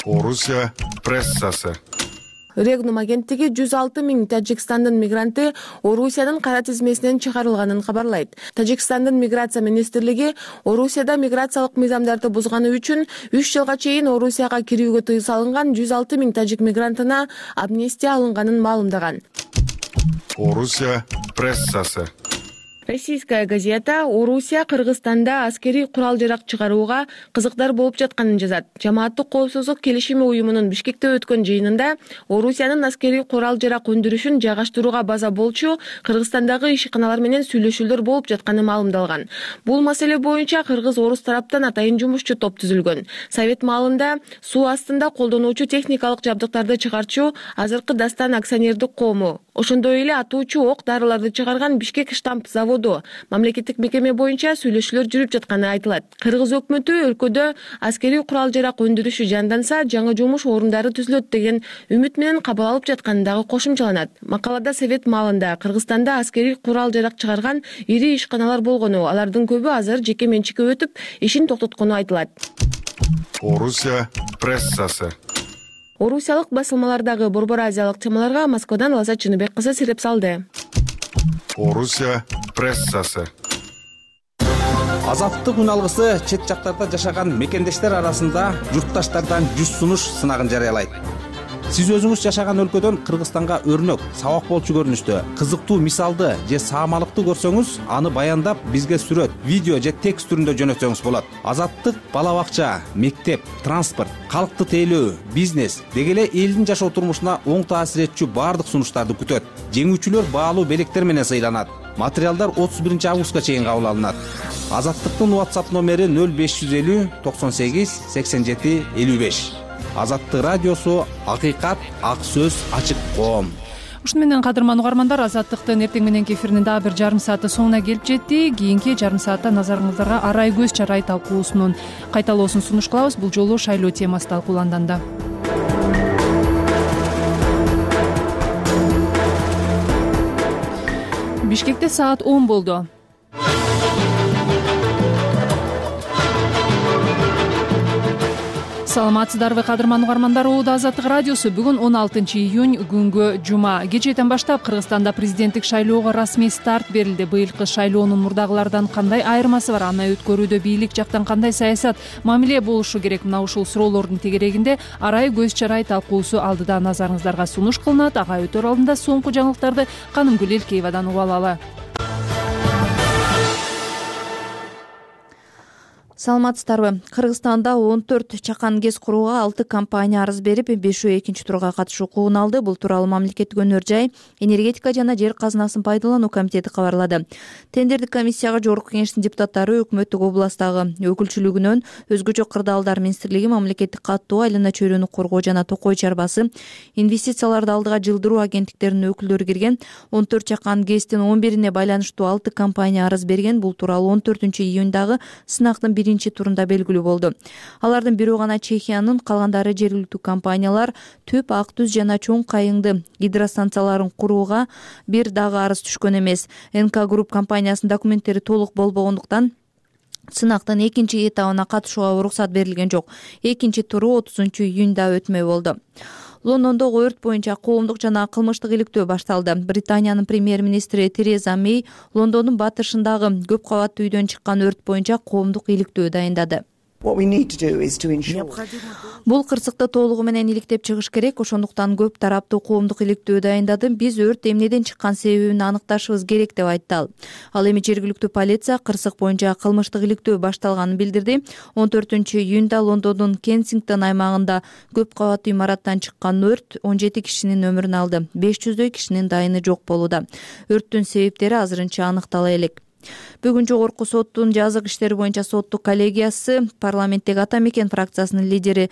Speaker 22: Орусия прессасы.
Speaker 23: Регнум агенттиги жүз алты миң Тажикстандын мигранты Орусиянын кара тизмесинен чыгарылганын кабарлайт. Тажикстандын миграция министрлиги Орусияда миграциялык мыйзамдарды бузганы үчүн үч жылга чейин Орусияга кирүүгө тыюу салынган жүз алты миң тажик мигрантына амнистия алынганын маалымдаган.
Speaker 22: Орусия прессасы.
Speaker 23: Российская газета Орусия Кыргызстанда аскерий курал-жарак чыгарууга кызыктар болуп жатканын жазат. Жамааттык коопсуздук келишими уюмунун Бишкекте өткөн жыйынында Орусиянын аскерий курал-жарак өндүрүшүн жайгаштырууга база болчу Кыргызстандагы ишканалар менен сүйлөшүүлөр болуп жатканы маалымдалган. Бул маселе боюнча кыргыз-орус тараптан атайын жумушчу топ түзүлгөн. Совет маалында суу астында колдонуучу техникалык жабдыктарды чыгарчу азыркы Дастан акционердик коому, ошондой эле атуучу ок дарыларды чыгарган Бишкек штамп завод бошоду. Мамлекеттик мекеме боюнча сүйлөшүүлөр жүрүп жатканы айтылат. Кыргыз өкмөтү өлкөдө аскерий курал жарак өндүрүшү жанданса, жаңы жумуш орундары түзүлөт деген үмүт менен кабыл алып жатканы дагы кошумчаланат. Макалада совет маалында Кыргызстанда аскерий курал жарак чыгарган ири ишканалар болгону, алардын көбү азыр жеке менчикке өтүп, ишин токтоткону айтылат.
Speaker 22: Орусия прессасы.
Speaker 23: Орусиялык басылмалардагы Борбор Азиялык темаларга Москвадан Аласа Чыныбек кызы сереп салды.
Speaker 22: Орусия прессасы.
Speaker 4: Азаттык үн алгысы чет жактарда жашаган мекендештер арасында журтташтардан жүз сунуш сынагын жарыялайт. Сиз өзүңүз жашаган өлкөдөн Кыргызстанга өрнөк, сабак болчу көрүнүштө, кызыктуу мисалды же саамалыкты көрсөңүз, аны баяндап бизге сүрөт, видео же текст түрүндө жөнөтсөңүз болот. Азаттык бала бакча, мектеп, транспорт, калкты тейлөө, бизнес деги эле элдин жашоо турмушуна оң таасир этчү баардык сунуштарды күтөт. Жеңүүчүлөр баалуу белектер менен сыйланат. Материалдар отуз биринчи августка чейин кабыл алынат. Азаттыктын WhatsApp номери нөл беш жүз элүү токсон сегиз сексен жети элүү беш. Азаттык радиосу, акыйкат, ак сөз, ачык коом.
Speaker 1: Ушуну менен кадырман угармандар, Азаттыктын эртең мененки эфиринин дагы бир жарым сааты соңуна келип жетти. Кийинки жарым саатта назарыңыздарга арай көз чарай талкуусунун кайталоосун сунуш кылабыз. Бул жолу шайлоо темасы талкууланды. Бишкекте саат он болду. Саламатсыздарбы кадырман угармандар, Оодо Азаттык радиосу. Бүгүн он алтынчы июнь күнгө жума. Кечээден баштап Кыргызстанда президенттик шайлоого расмий старт берилди. Быйылкы шайлоонун мурдагылардан кандай айырмасы бар? Аны өткөрүүдө бийлик жактан кандай саясат, мамиле болушу керек? Мына ушул суроолордун тегерегинде арай көз чарай талкуусу алдыда назарыңыздарга сунуш кылынат. Ага өтөр алдында соңку жаңылыктарды Канымгүл Элкеевадан угуп алалы.
Speaker 9: Саламатсыздарбы? Кыргызстанда он төрт чакан гез курууга алты компания арыз берип, бешөө экинчи турга катышуу укугун алды. Бул тууралуу мамлекеттик өнөр жай, энергетика жана жер казынасын пайдалануу комитети кабарлады. Тендердик комиссияга жогорку кеңештин депутаттары өкмөттүк областагы өкүлчүлүгүнөн, өзгөчө кырдаалдар министрлиги, мамлекеттик каттоо, айлана чөйрөнү коргоо жана токой чарбасы, инвестицияларды алдыга жылдыруу агенттиктеринин өкүлдөрү кирген. он төрт чакан гэстин он бирине байланыштуу алты компания арыз берген. Бул тууралуу он төртүнчү июньдагы сынактын биринчи турунда белгилүү болду. Алардын бирөө гана Чехиянын, калгандары жергиликтүү компаниялар. Төп, Ак Түз жана Чоң Кайыңды гидростанцияларын курууга бир дагы арыз түшкөн эмес. эн ка Групп компаниясынын документтери толук болбогондуктан сынактын экинчи этабына катышууга уруксат берилген жок. Экинчи туру отузунчу июньда өтмөй болду. Лондондогу өрт боюнча коомдук жана кылмыштык иликтөө башталды. Британиянын премьер-министри Тереза Мэй Лондондун батышындагы көп кабаттуу үйдөн чыккан өрт боюнча коомдук иликтөө дайындады. Бул кырсыкты толугу менен иликтеп чыгыш керек, ошондуктан көп тараптуу коомдук иликтөө дайындады. Биз өрт эмнеден чыккан себебин аныкташыбыз керек деп айтты ал. Ал эми жергиликтүү полиция кырсык боюнча кылмыштык иликтөө башталганын билдирди. он төртүнчү июньда Лондондун Кенсингтон аймагында көп кабаттуу имараттан чыккан өрт он жети кишинин өмүрүн алды. беш жүздөй кишинин дайыны жок болууда. Өрттүн себептери азырынча аныктала элек. Бүгүн жогорку соттун жазык иштери боюнча соттук коллегиясы парламенттеги Ата Мекен фракциясынын лидери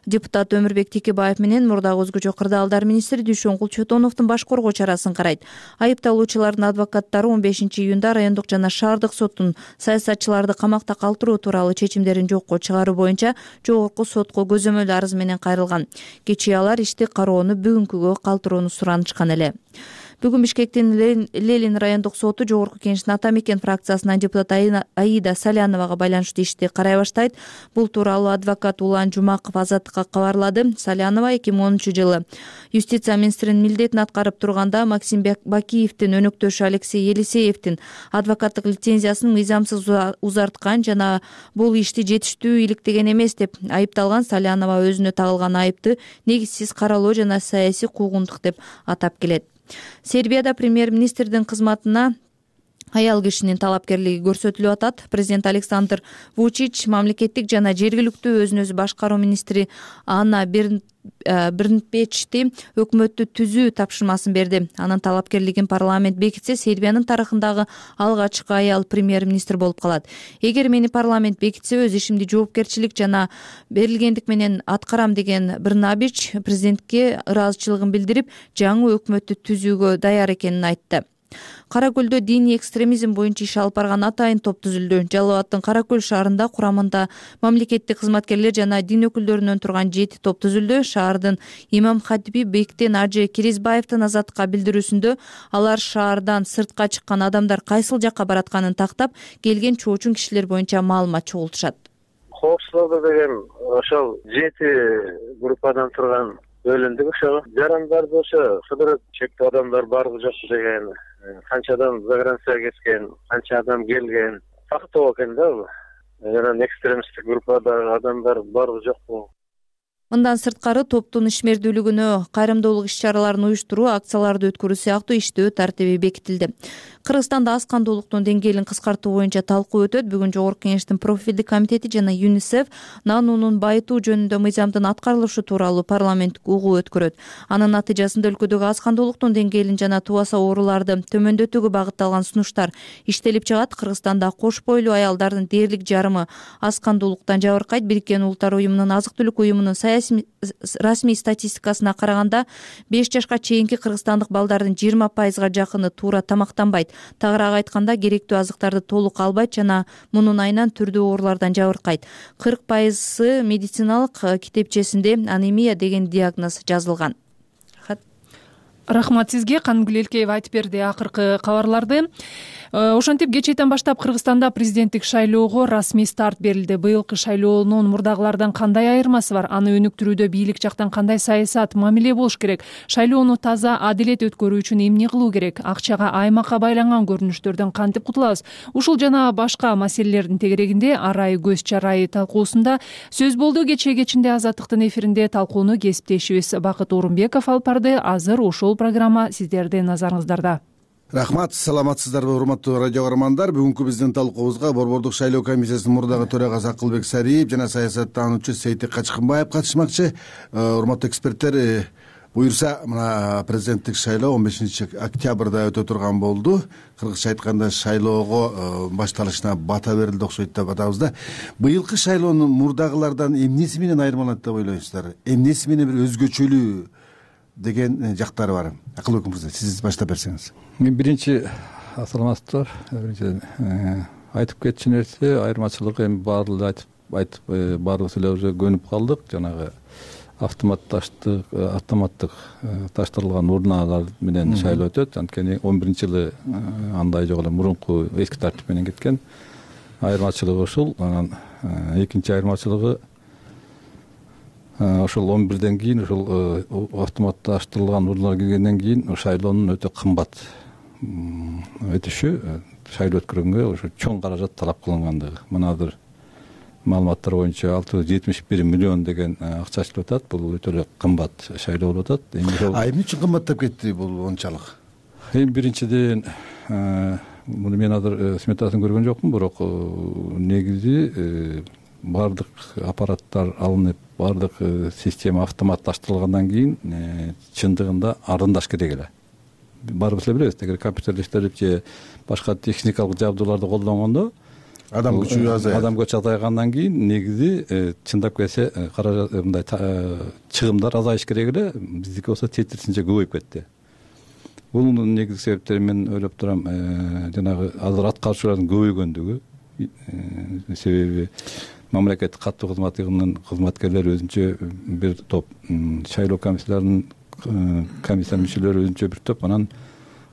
Speaker 9: депутат Өмүрбек Текебаев менен мурдагы өзгөчө кырдаалдар министри Дүйшөнгүл Чотоновдун баш коргоо чарасын карайт. Айыпталуучулардын адвокаттары он бешинчи июнда райондук жана шаардык соттун саясатчыларды камакта калтыруу тууралуу чечимдерин жокко чыгаруу боюнча жогорку сотко көзөмөл арыз менен кайрылган. Кечээ алар ишти кароону бүгүнкүгө калтырууну суранышкан эле. Бүгүн Бишкектин Ленин райондук соту жогорку кеңештин Ата Мекен фракциясынан депутат Аида Саляновага байланыштуу ишти карай баштайт. Бул тууралуу адвокат Улан Жумаков Азаттыкка кабарлады. Салянова эки миң онунчу жылы юстиция министринин милдетин аткарып турганда Максим Бакиевдин өнөктөшү Алексей Елисеевдин адвокаттык лицензиясын мыйзамсыз узарткан жана бул ишти жетиштүү иликтеген эмес деп айыпталган. Салянова өзүнө тагылган айыпты негизсиз каралоо жана саясий куугунтук деп атап келет. Сербияда премьер-министрдин кызматына аял кишинин талапкерлиги көрсөтүлүп атат. Президент Александр Вучич мамлекеттик жана жергиликтүү өзүн өзү башкаруу министри Анна Брнпечти өкмөттү түзүү тапшырмасын берди. Анын талапкерлигин парламент бекитсе, Сербиянын тарыхындагы алгачкы аял премьер-министр болуп калат. Эгер мени парламент бекитсе, өз ишимди жоопкерчилик жана берилгендик менен аткарам деген Брнабич президентке ыраазычылыгын билдирип, жаңы өкмөттү түзүүгө даяр экенин айтты. Кара Көлдө диний экстремизм боюнча иш алып барган атайын топ түзүлдү. Жалал Абадтын Кара Көл шаарында курамында мамлекеттик кызматкерлер жана дин өкүлдөрүнөн турган жети топ түзүлдү. Шаардын имам хатиби Бектен Ажы Киризбаевдин Азаттыкка билдирүүсүндө алар шаардан сыртка чыккан адамдар кайсыл жакка баратканын тактап, келген чоочун кишилер боюнча маалымат чогултушат.
Speaker 2: Коопсуздук деген ошол жети группадан турган бөлүндүк. Ошо жарандарды ошо кыдырып чектүү адамдар барбы жокпу деген, канча адам загранцияга кеткен, канча адам келген тактоо экен да. Бул жана экстремисттик группадагы адамдар барбы жокпу.
Speaker 9: Мындан сырткары топтун ишмердүүлүгүнө, кайрымдуулук иш-чараларын уюштуруу, акцияларды өткөрүү сыяктуу иштөө тартиби бекитилди. Кыргызстанда аз кандуулуктун деңгээлин кыскартуу боюнча талкуу өтөт. Бүгүн Жогорку Кеңештин профилдик комитети жана ЮНИСЕФ нанунун байытуу жөнүндө мыйзамдын аткарылышы тууралуу парламенттик угуу өткөрөт. Анын натыйжасында өлкөдөгү аз кандуулуктун деңгээлин жана тубаса ооруларды төмөндөтүүгө багытталган сунуштар иштелип чыгат. Кыргызстанда кош бойлуу аялдардын дээрлик жарымы аз кандуулуктан жабыркайт. Бириккен Улуттар уюмунун азык-түлүк уюмунун расмий статистикасына караганда беш жашка чейинки кыргызстандык балдардын жыйырма пайызга жакыны туура тамактанбайт. Тагыраак айтканда, керектүү азыктарды толук албайт жана мунун айынан түрдүү оорулардан жабыркайт. кырк пайызы медициналык китепчесинде анемия деген диагноз жазылган.
Speaker 1: Рахмат сизге. Кангүл Элкеева айтып берди акыркы кабарларды. Ошентип кечээден баштап Кыргызстанда президенттик шайлоого расмий старт берилди. Быйылкы шайлоонун мурдагылардан кандай айырмасы бар? Аны өнүктүрүүдө бийлик жактан кандай саясат, мамиле болуш керек? Шайлоону таза, адилет өткөрүү үчүн эмне кылуу керек? Акчага, аймакка байланган көрүнүштөрдөн кантип кутулабыз? Ушул жана башка маселелердин тегерегинде арай көз чарайы талкуусунда сөз болду. Кечээ кечинде Азаттыктын эфиринде талкууну кесиптешибиз Бакыт Орунбеков алып барды. Азыр ушул программа сиздердин назарыңыздарда.
Speaker 10: Рахмат, саламатсыздарбы урматтуу радио көрөрмандар. Бүгүнкү биздин талкуубузга Борбордук шайлоо комиссиясынын мурдагы төрагасы Акылбек Сариев жана саясаттануучу Сейтек Качкынбаев катышмакчы. Урматтуу эксперттер, буюрса мына президенттик шайлоо он бешинчи октябрда өтө турган болду. Кыргызча айтканда шайлоого башталышына бата берилди окшойт деп атабыз да. Быйылкы шайлоонун мурдагылардан эмнеси менен айырмаланат деп ойлойсуздар? Эмнеси менен бир өзгөчөлүү деген жактары бар? Акылбек мырза, сиз баштап берсеңиз.
Speaker 11: Мен биринчи саламатсыздар. Биринчи айтып кетчү нерсе айырмачылыгы эми баардыгы айтып айтып баардыгыбыз эле уже көнүп калдык. Жанагы автоматташтык автоматтык таштырылган урналар менен шайлоо өтөт. Анткени он биринчи жылы андай жок эле, мурунку эски тартип менен кеткен. Айырмачылыгы ушул. Анан экинчи айырмачылыгы ошол он бирден кийин ошол автоматташтырылган урналар киргенден кийин шайлоонун өтө кымбат өтүшү, шайлоо өткөргөнгө ошо чоң каражат талап кылынгандыгы. Мына азыр маалыматтар боюнча алты жүз жетимиш бир миллион деген акча ачылып атат. Бул өтө эле кымбат шайлоо болуп атат.
Speaker 10: А эмне үчүн кымбаттап кетти бул ончалык?
Speaker 11: Эми биринчиден муну мен азыр сметасын көргөн жокмун, бирок негизи баардык аппараттар алынып, баардык система автоматташтырылгандан кийин чындыгында арзандаш керек эле. Баарыбыз эле билебиз, эгер компьютерлештирип же башка техникалык жабдууларды колдонгондо
Speaker 10: адам күчү азайат.
Speaker 11: Адам күчү азайгандан кийин негизи чындап келсе каражат мындай чыгымдар азайыш керек эле. Биздики болсо тетирисинче көбөйүп кетти. Бунун негизги себептери мен ойлоп турам, жанагы азыр аткаруучулардын көбөйгөндүгү. Себеби мамлекеттик каттуу кызматынын кызматкерлери өзүнчө бир топ, шайлоо комиссияларынын комиссиянын мүчөлөрү өзүнчө бир топ, анан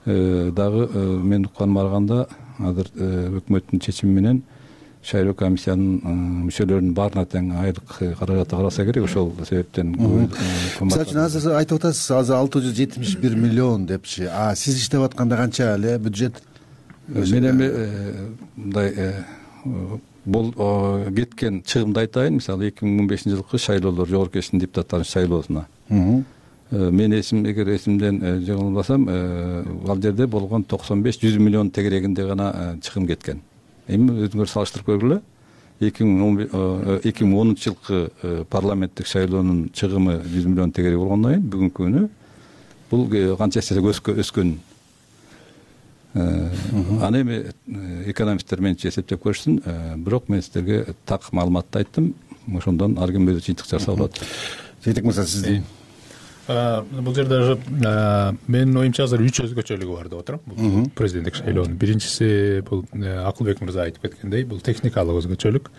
Speaker 11: дагы мен укканыма караганда азыр өкмөттүн чечими менен шайлоо комиссиянын мүчөлөрүнүн баарына тең айлык каражаты караса керек. Ошол себептен
Speaker 10: мисалы үчүн азыр айтып атасыз, азыр алты жүз жетимиш бир миллион депчи. А сиз иштеп атканда канча эле бюджет?
Speaker 11: Мен эми мындай бул кеткен чыгымды айтайын. Мисалы эки миң он бешинчи жылкы шайлоолор, Жогорку Кеңештин депутаттарынын шайлоосуна мен эсим эгер эсимден жаңылбасам, ал жерде болгон токсон беш жүз миллион тегерегинде гана чыгым кеткен. Эми өзүңөр салыштырып көргүлө. эки миң онунчу жылкы парламенттик шайлоонун чыгымы жүз миллион тегерек болгондон кийин бүгүнкү күнү бул канча эсе өскөн. Аны эми экономисттер менчи эсептеп көрсүн, бирок мен сиздерге так маалыматты айттым. Ошондон ар ким өзү жыйынтык жасап алат.
Speaker 10: Сейтек мырза, сиздин
Speaker 3: бул жерде уже менин оюмча азыр үч өзгөчөлүгү бар деп отурам бул президенттик шайлоонун. Биринчиси бул Акылбек мырза айтып кеткендей, бул техникалык өзгөчөлүк.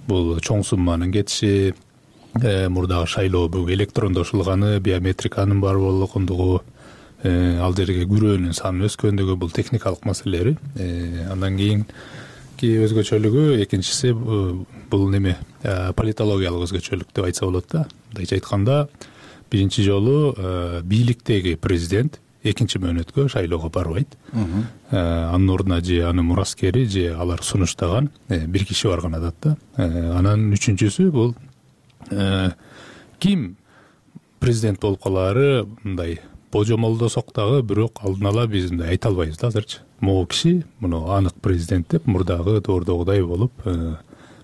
Speaker 3: Бул чоң сумманын кетиши, мурдагы шайлоо бүгүн электрондошулганы, биометриканын бар болгондугу, ал жерге күрөөнүн саны өскөндүгү, бул техникалык маселелери. Андан кийинки өзгөчөлүгү экинчиси бул неме политологиялык өзгөчөлүк деп айтса болот да. Мындайча айтканда, биринчи жолу бийликтеги президент экинчи мөөнөткө шайлоого барбайт. Анын ордуна же анын мураскери же алар сунуштаган бир киши барган атат да. Анан үчүнчүсү бул ким президент болуп калаары мындай божомолдосок дагы, бирок алдын ала биз мындай айта албайбыз да азырчы. Могу киши муну анык президент деп мурдагы доордогудай болуп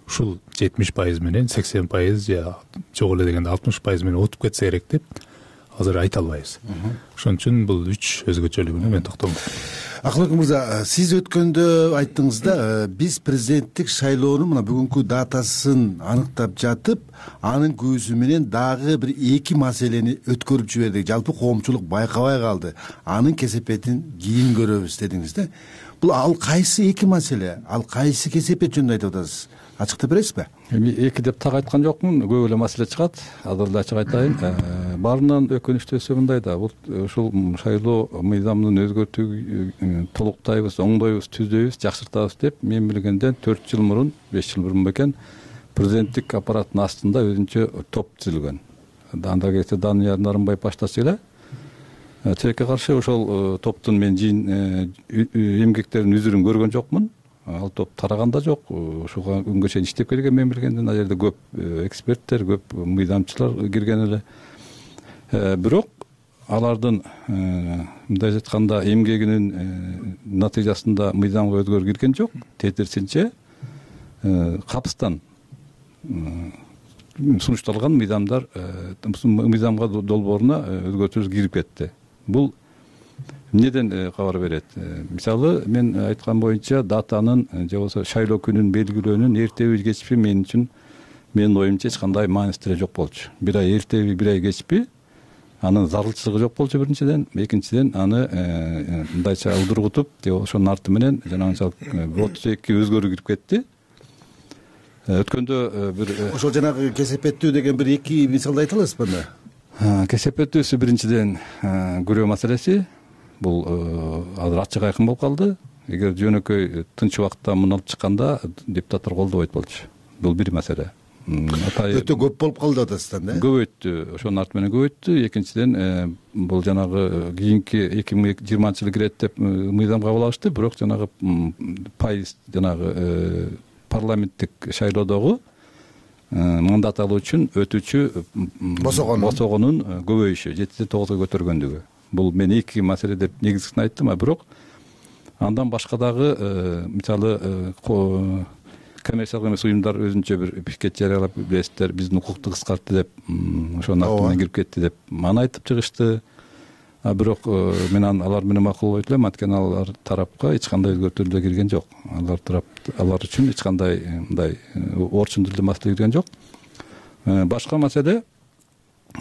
Speaker 3: ушул жетимиш пайыз менен сексен пайыз же жок эле дегенде алтымыш пайыз менен утуп кетсе керек деп азыр айта албайбыз. Ошон үчүн бул үч өзгөчөлүгүнө мен токтолдум.
Speaker 10: Акылбек мырза, сиз өткөндө айттыңыз да, биз президенттик шайлоонун мына бүгүнкү датасын аныктап жатып, анын көзү менен дагы бир эки маселени өткөрүп жибердик. Жалпы коомчулук байкабай калды. Анын кесепетин кийин көрөбүз дедиңиз да. Бул ал кайсы эки маселе? Ал кайсы кесепет жөнүндө айтып атасыз? Ачыктап бересизби?
Speaker 11: Эми эки деп так айткан жокмун, көп эле маселе чыгат. Азыр эле ачык айтайын. Баарынан өкүнүчтүүсү мындай да, бул ушул шайлоо мыйзамын өзгөртүү толуктайбыз, оңдойбуз, түздөйбүз, жакшыртабыз деп мен билгенден төрт жыл мурун, беш жыл мурун бекен президенттик аппараттын астында өзүнчө топ түзүлгөн. Анда кетсе Данияр Нарымбаев баштаса эле тилекке каршы ошол топтун мен жийин эмгектеринин үзүрүн көргөн жокмун. Ал топ тараган да жок. Ушуга күнгө чейин иштеп келген мен билгенден, ал жерде көп эксперттер, көп мыйзамчылар кирген эле. Бирок алардын мындай айтканда эмгегинин натыйжасында мыйзамга өзгөрүү кирген жок. Тетирсинче капыстан сунушталган мыйзамдар мыйзамга долбооруна өзгөртүүлөр кирип кетти. Бул эмнеден кабар берет? Мисалы, мен айткан боюнча датанын же болбосо шайлоо күнүн белгилөөнүн эртеби кечпи мен үчүн менин оюмча эч кандай маанисиси жок болчу. Бир ай эртеби, бир ай кечпи анын зарылчылыгы жок болчу биринчиден, экинчиден аны мындайча удургутуп, же ошонун арты менен жанагынча отуз эки өзгөрүү кирип кетти. Өткөндө бир
Speaker 10: ошол жанагы кесепеттүү деген бир эки мисалды айта аласызбы анда?
Speaker 11: Кесепеттүүсү биринчиден күрөө маселеси. Бул азыр ачык айкын болуп калды. Эгер жөнөкөй тынч убакытта муну алып чыкканда депутаттар колдобойт болчу. Бул бир маселе.
Speaker 10: Өтө көп болуп калды атасыздан да?
Speaker 11: Көбөйттү, ошонун арты менен көбөйттү. Экинчиден бул жанагы кийинки эки миң жыйырманчы жылы кирет деп мыйзам кабыл алышты, бирок жанагы пайыз жанагы парламенттик шайлоодогу мандат алуу үчүн өтүүчү босогонун көбөйүшү, жетиден тогузга көтөргөндүгү. Бул мен эки маселе деп негизгисин айттым, а бирок андан башка дагы мисалы коммерциялык эмес уюмдар өзүнчө бир пикет жарыялап, билесиздер, биздин укукту кыскартты деп, ошонун арты менен кирип кетти деп аны айтып чыгышты. А бирок мен алар менен макулдобойт элем, анткени алар тарапка эч кандай өзгөртүүлөр кирген жок. Алар тарап алар үчүн эч кандай мындай орчун тилде маселе кирген жок. Башка маселе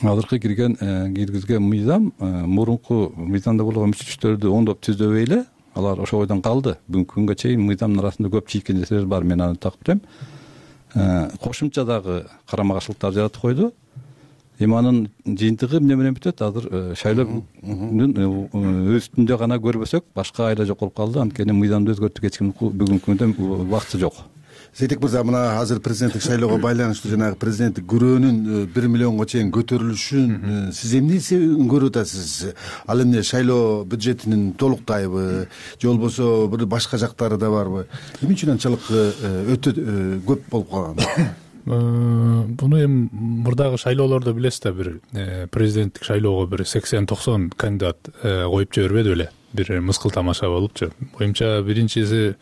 Speaker 11: азыркы кирген киргизген мыйзам мурунку мыйзамда болгон мүчөчтөрдү оңдоп түздөбөй эле, алар ошол ойдон калды. Бүгүнкү күнгө чейин мыйзамдын арасында көп чийкенчеликтер бар, мен аны такып турам. Кошумча дагы карама каршылыктар жаратып койду. Эми анын жыйынтыгы эмне менен бүтөт? Азыр шайлоонун үстүндө гана көрбөсөк, башка айла жок болуп калды. Анткени мыйзамды өзгөртүүгө эч ким бүгүнкү күндө убакыты жок.
Speaker 10: Сейтек мырза, мына азыр президенттик шайлоого байланыштуу жанагы президенттик күрөөнүн бир миллионго чейин көтөрүлүшүн сиз эмнеси көрүп атасыз? Ал эмне шайлоо бюджетинин толуктайбы, же болбосо бир башка жактары да барбы? Эмне үчүн анчалык өтө көп болуп калган?
Speaker 3: Буну эми мурдагы шайлоолордо билесиз да, бир президенттик шайлоого бир сексен токсон кандидат коюп жибербеди беле? Бир мыскыл тамаша болупчу. Боюмча биринчиси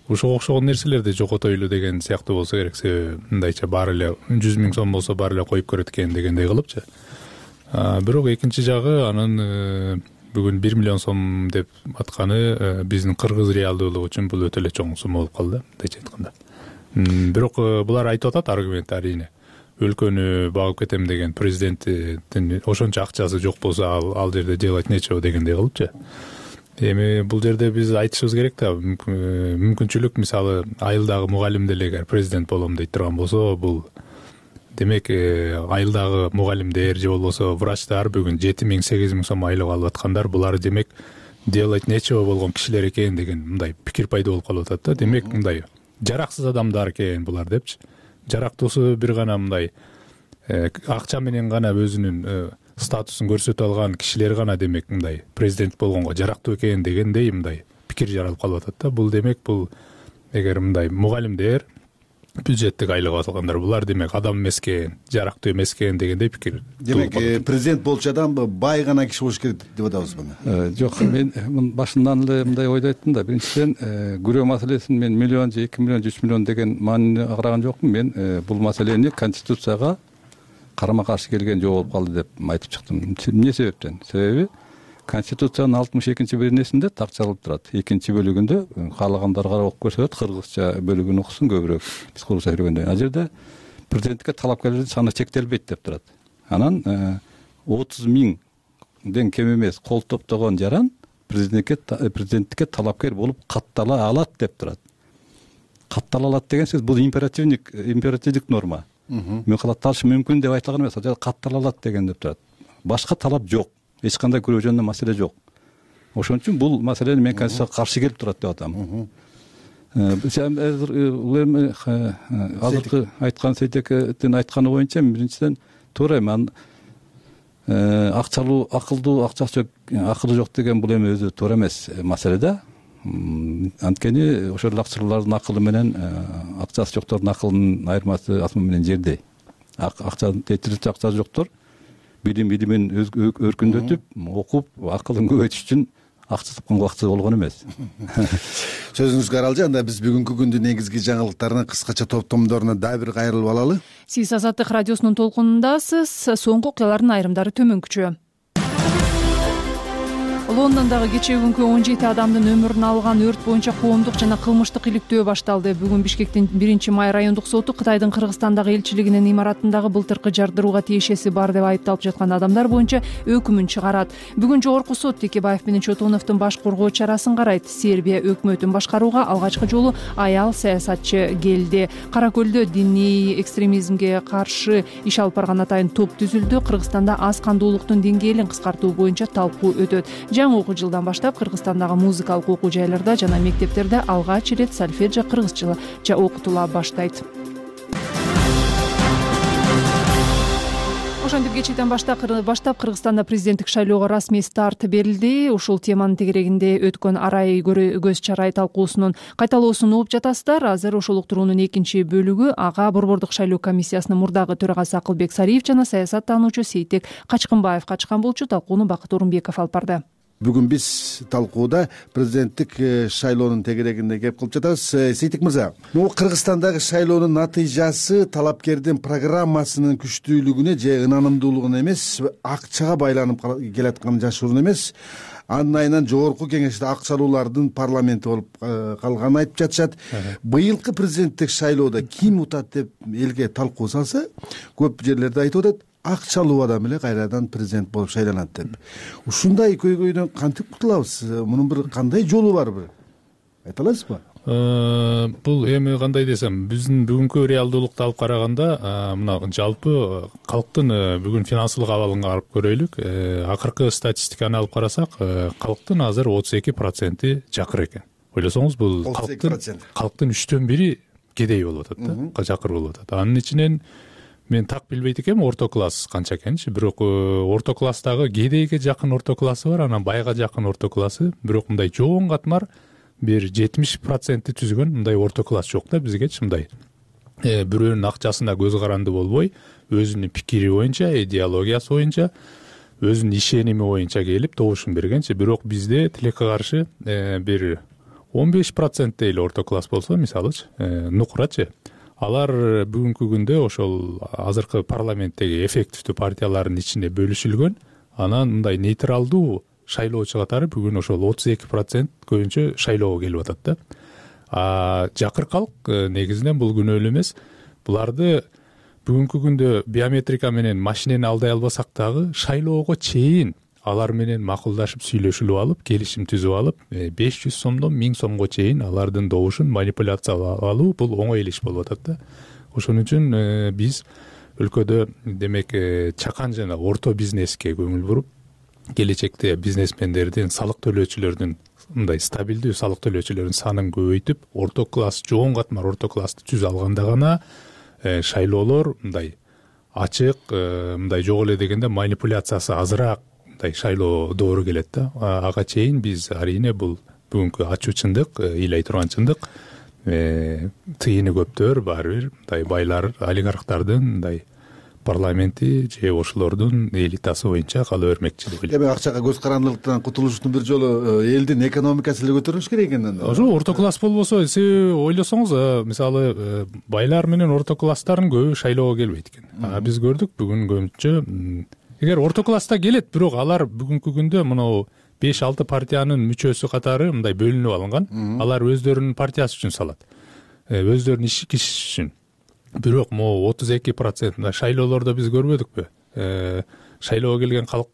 Speaker 3: ушуга окшогон нерселерди жокотойлу деген сыяктуу болсо керек. Себеби мындайча баары эле жүз миң сом болсо баары эле коюп көрөт экен дегендей кылыпчы. Бирок экинчи жагы анын бүгүн бир миллион сом деп атканы биздин кыргыз реалдуулугу үчүн бул өтө эле чоң сумма болуп калды, мындайча айтканда. Бирок булар айтып атат аргумент, арийне. өлкөнү багып кетем деген президенттин ошончо акчасы жок болсо ал ал жерде делать нечего дегендей кылыпчы. Эми бул жерде биз айтышыбыз керек да, мүмкүнчүлүк мисалы айылдагы мугалим деле эгер президент болом дейт турган болсо, бул демек айылдагы мугалимдер же болбосо врачтар бүгүн жети миң сегиз миң сом айлык алып аткандар, булар демек делать нечего болгон кишилер экен деген мындай пикир пайда болуп калып атат да. Демек мындай жараксыз адамдар экен булар депчи. Жарактуусу бир гана мындай акча менен гана өзүнүн статусун көрсөтө алган кишилер гана демек мындай президент болгонго жарактуу экен дегендей мындай пикир жаралып калып атат да. Бул демек бул эгер мындай мугалимдер, бюджеттик айлык алгандар булар демек адам эмес экен, жарактуу эмес экен дегендей пикир.
Speaker 10: Демек президент болчу адам бай гана киши болуш керек деп атабызбы?
Speaker 11: Жок, мен башынан эле мындай ойдо айттым да. Биринчиден күрөө маселесин мен миллион же эки миллион же үч миллион деген маанини караган жокмун. Мен бул маселени конституцияга карама каршы келген жол болуп калды деп айтып чыктым. Эмне себептен? Себеби Конституциянын алтымыш экинчи беренесинде так жазылып турат. Экинчи бөлүгүндө каалагандарга окуп көрсөтөт, кыргызча бөлүгүн окусун көбүрөөк биз кыргызча сөйлөгөндө. Ал жерде президентке талапкерлердин саны чектелбейт деп турат. Анан отуз миңден кем эмес кол топтогон жаран президентке президенттикке талапкер болуп каттала алат деп турат. Каттала алат деген сөз бул императивдик императивдик норма. Мен катталышы мүмкүн деп айтылган эмес, ал жерде каттала алат деген деп турат. Башка талап жок. Эч кандай күрөө жөнүндө маселе жок. Ошон үчүн бул маселени мен конституцияга каршы келип турат деп атам. Азыркы айткан Сейтектин айтканы боюнча биринчиден туура эми акчалуу, акылдуу, акчасы акылы жок деген бул эми өзү туура эмес маселе да. Анткени ошол акчалуулардын акылы менен акчасы жоктордун акылынын айырмасы асман менен жердей. Акча жеткиликтүү акчасы жоктор билим билимин өркүндөтүп, окуп, акылын көбөйтүш үчүн акча тапкан убакыты болгон эмес.
Speaker 10: Сөзүңүзгө аралжы. Анда биз бүгүнкү күндүн негизги жаңылыктарынын кыскача топтомдоруна дагы бир кайрылып алалы.
Speaker 1: Сиз Азаттык радиосунун толкунундасыз. Соңку окуялардын айрымдары төмөнкүчө. Лондондогу кечээ күнкү он жети адамдын өмүрүн алган өрт боюнча коомдук жана кылмыштык иликтөө башталды. Бүгүн Бишкектин биринчи май райондук соту Кытайдын Кыргызстандагы элчилигинин имаратындагы былтыркы жардырууга тиешеси бар деп айыпталып жаткан адамдар боюнча өкүмүн чыгарат. Бүгүн жогорку сот Текебаев менен Чотоновдун баш коргоо чарасын карайт. Сербия өкмөтүн башкарууга алгачкы жолу аял саясатчы келди. Кара Көлдө диний экстремизмге каршы иш алып барган атайын топ түзүлдү. Кыргызстанда аз кандуулуктун деңгээлин кыскартуу боюнча талкуу өтөт. Жаңы окуу жылдан баштап Кыргызстандагы музыкалык окуу жайларда жана мектептерде алгач ирет сольфеджио кыргызча окутула баштайт. Ошентип кечээден баштап Кыргызстанда президенттик шайлоого расмий старт берилди. Ушул теманын тегерегинде өткөн арай көз чарай талкуусунун кайталоосун угуп жатасыздар. Азыр ошол уктуруунун экинчи бөлүгү ага борбордук шайлоо комиссиясынын мурдагы төрагасы Акылбек Сариев жана саясаттануучу Сейтек Качкынбаев катышкан болчу. Талкууну Бакыт Орунбеков алып барды.
Speaker 10: Бүгүн биз талкууда президенттик шайлоонун тегерегинде кеп кылып жатабыз. Сейтек мырза, могу Кыргызстандагы шайлоонун натыйжасы талапкердин программасынын күчтүүлүгүнө же ынанымдуулугуна эмес, акчага байланып келатканы жашыруун эмес. Анын айынан жогорку кеңеште акчалуулардын парламенти болуп калганын айтып жатышат. Быйылкы президенттик шайлоодо ким утат деп элге талкуу салса, көп жерлерде айтып атат, акчалуу адам эле кайрадан президент болуп шайланат деп. Ушундай көйгөйдөн кантип кутулабыз? Мунун бир кандай жолу бар бир? Айта аласызбы?
Speaker 3: Бул эми кандай десем, биздин бүгүнкү реалдуулукту алып караганда, мына жалпы калктын бүгүн финансылык абалын карап көрөйлүк. Акыркы статистиканы алып карасак, калктын азыр отуз эки проценти жакыр экен. Ойлосоңуз, бул калктын калктын үчтөн бири кедей болуп атат да, жакыр болуп атат. Анын ичинен мен так билбейт экенмин орто класс канча экенчи, бирок орто класстагы кедейге жакын орто классы бар, анан байга жакын орто классы, бирок мындай жоон катмар бир жетимиш процентти түзгөн мындай орто класс жок да бизгечи. Мындай бирөөнүн акчасына көз каранды болбой, өзүнүн пикири боюнча, идеологиясы боюнча, өзүнүн ишеними боюнча келип добушун бергенчи. Бирок бизде тилекке каршы бир он беш проценттей эле орто класс болсо, мисалычы, нукурачы, алар бүгүнкү күндө ошол азыркы парламенттеги эффективдүү партиялардын ичинде бөлүшүлгөн. Анан мындай нейтралдуу шайлоочу катары бүгүн ошол отуз эки процент көбүнчө шайлоого келип атат да. А жакыр калк негизинен бул күнөөлүү эмес. Буларды бүгүнкү күндө биометрика менен машинени алдай албасак дагы шайлоого чейин алар менен макулдашып сүйлөшүлүп алып, келишим түзүп алып, беш жүз сомдон миң сомго чейин алардын добушун манипуляциялап алуу бул оңой иш болуп атат да. Ошон үчүн биз өлкөдө демек чакан жана орто бизнеске көңүл буруп, келечекте бизнесмендердин, салык төлөөчүлөрдүн мындай стабилдүү салык төлөөчүлөрдүн санын көбөйтүп, орто класс, жоон катмар орто классты түзө алганда гана шайлоолор мындай ачык, мындай жок эле дегенде манипуляциясы азыраак мындай шайлоо доору келет да. Ага чейин биз арийне бул бүгүнкү ачуу чындык, ыйлай турган чындык, тыйыны көптөр баары бир мындай байлар, олигархтардын мындай парламенти же ошолордун элитасы боюнча кала бермекчи деп ойлойм.
Speaker 10: Эми акчага көз карандылыктан кутулуштун бир жолу элдин экономикасы эле көтөрүлүш керек экен.
Speaker 3: Ошо орто класс болбосо, сиз ойлосоңуз, мисалы байлар менен орто класстардын көбү шайлоого келбейт экен. А биз көрдүк бүгүн көбүнчө, эгер орто класста келет, бирок алар бүгүнкү күндө мынау беш алты партиянын мүчөсү катары мындай бөлүнүп алынган. Алар өздөрүнүн партиясы үчүн салат, өздөрүнүн иш киши үчүн. Бирок могу отуз эки процент шайлоолордо биз көрбөдүкпү? Шайлоого келген калк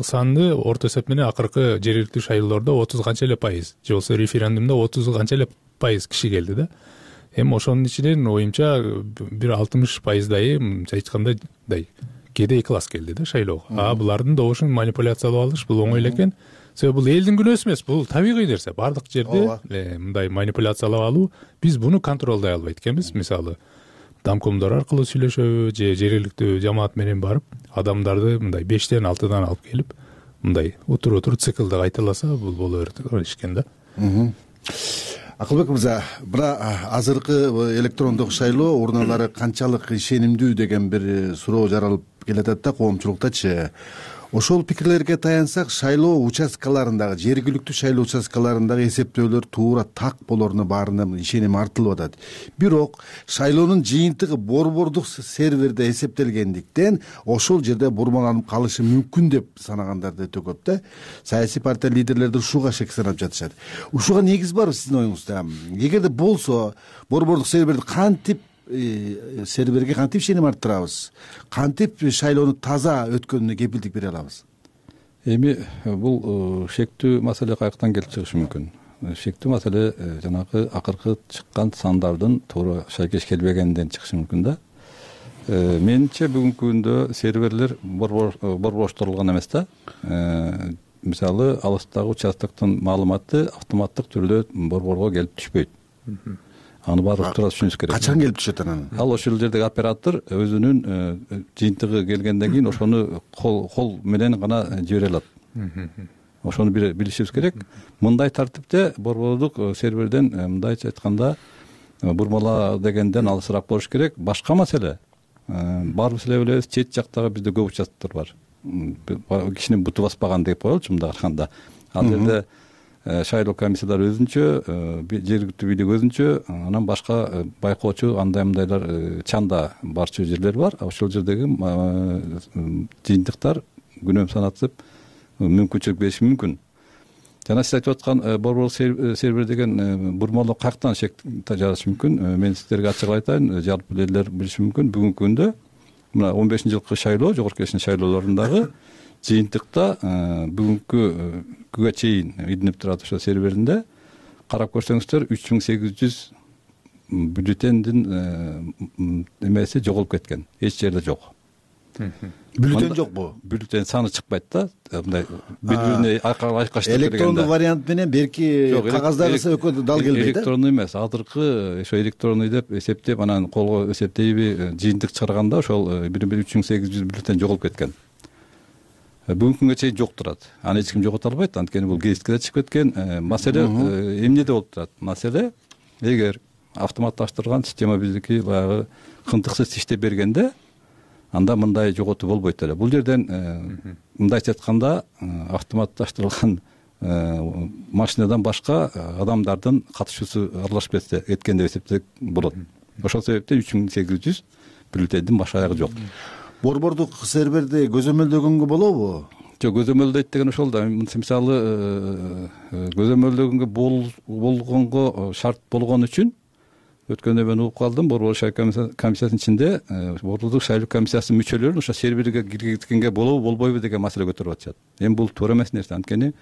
Speaker 3: саны орто эсеп менен акыркы жергиликтүү шайлоолордо отуз канча эле пайыз, же болбосо референдумда отуз канча эле пайыз киши келди да. Эми ошонун ичинен оюмча бир алтымыш пайыздай, мынча айтканда кедей класс келди да шайлоого. А булардын добушун манипуляциялап алыш бул оңой эле экен. Себеби бул элдин күнөөсү эмес, бул табигый нерсе. Бардык жерде мындай манипуляциялап алуу, биз буну контролдой албайт экенбиз. Мисалы, домкомдор аркылуу сүйлөшөбү же жергиликтүү жамаат менен барып, адамдарды мындай бештен алтыдан алып келип, мындай утур-утур циклды кайталаса, бул боло берет экен да.
Speaker 10: Акылбек мырза, мына азыркы электрондук шайлоо урналары канчалык ишенимдүү деген бир суроо жаралып келатат да коомчулуктачы. Ошол пикирлерге таянсак, шайлоо участкаларындагы, жергиликтүү шайлоо участкаларындагы эсептөөлөр туура так болоруна баарына ишеним артылып атат. Бирок шайлоонун жыйынтыгы борбордук серверде эсептелгендиктен ошол жерде бурмаланып калышы мүмкүн деп санагандар да өтө көп да. Саясий партия лидерлери ушуга шек санап жатышат. Ушуга негиз барбы сиздин оюңузда? Эгерде болсо, борбордук серверди кантип серверге кантип ишеним арттырабыз, кантип шайлоону таза өткөнүнө кепилдик бере алабыз?
Speaker 11: Эми бул шектүү маселе каяктан келип чыгышы мүмкүн? Шектүү маселе жанагы акыркы чыккан сандардын туура шайкеш келбегенден чыгышы мүмкүн да. Менимче бүгүнкү күндө серверлер борбоштурулган эмес да. Мисалы, алыстагы участоктун маалыматы автоматтык түрдө борборго келип түшпөйт. Аны баары туура түшүнүш керек.
Speaker 10: Качан келип түшөт анан?
Speaker 11: Ал ошол жердеги оператор өзүнүн жыйынтыгы келгенден кийин ошону кол менен гана жибере алат. Ошону билишибиз керек. Мындай тартипте борбордук серверден, мындайча айтканда, бурмала дегенден алысыраак болуш керек. Башка маселе, баарыбыз эле билебиз, чет жактагы бизде көп участоктор бар. Кишинин буту баспаган деп коелучу мындай караганда. Ал жерде шайлоо комиссиялары өзүнчө, жергиликтүү бийлик өзүнчө, анан башка байкоочу андай-мындайлар чанда барчу жерлер бар. Ошол жердеги жыйынтыктар күнөм санатып мүмкүнчүлүк бериши мүмкүн. Жана сиз айтып аткан борбордук сервер деген бурмалоо каяктан шек жаратышы мүмкүн? Мен сиздерге ачык айтайын, жалпы элдер билиши мүмкүн. Бүгүнкү күндө мына он бешинчи жылкы шайлоо, жогорку кеңештин шайлоолорундагы жыйынтыкта бүгүнкү күнгө чейин илинип турат ошо серверинде карап көрсөңүздөр үч миң сегиз жүз бюллетендин эмеси жоголуп кеткен. Эч жерде жок.
Speaker 10: Бюллетен жокпу?
Speaker 11: Бюллетен саны чыкпайт да. Мындай бири-бирине айкаштырып бергенде.
Speaker 10: Электрондуу вариант менен берки кагаздагысы экөө дал келбейт да?
Speaker 11: Электрондуу эмес, азыркы ошо электрондуу деп эсептеп, анан колго эсептейби жыйынтык чыгарганда ошол бири-бири үч миң сегиз жүз бюллетен жоголуп кеткен. Бүгүнкү күнгө чейин жок турат. Аны эч ким жогото албайт, анткени бул гезитке да чыгып кеткен. Маселе эмнеде болуп турат? Маселе, эгер автоматташтырылган система биздики баягы кынтыксыз иштеп бергенде, анда мындай жоготуу болбойт эле. Бул жерден мындайча айтканда, автоматташтырылган машинадан башка адамдардын катышуусу аралашып кеткен деп эсептесек болот. Ошол себептен үч миң сегиз жүз бюллетендин баш аягы жок.
Speaker 10: Борбордук серверди көзөмөлдөгөнгө болобу?
Speaker 11: Жок, көзөмөлдөйт деген ошол да. Мисалы, көзөмөлдөгөнгө болгонго шарт болгон үчүн өткөндө мен угуп калдым, Борбордук шайлоо комиссиясынын ичинде Борбордук шайлоо комиссиясынын мүчөлөрүн ошо серверге киргизгенге болобу болбойбу деген маселе көтөрүп атышат. Эми бул туура эмес нерсе, анткени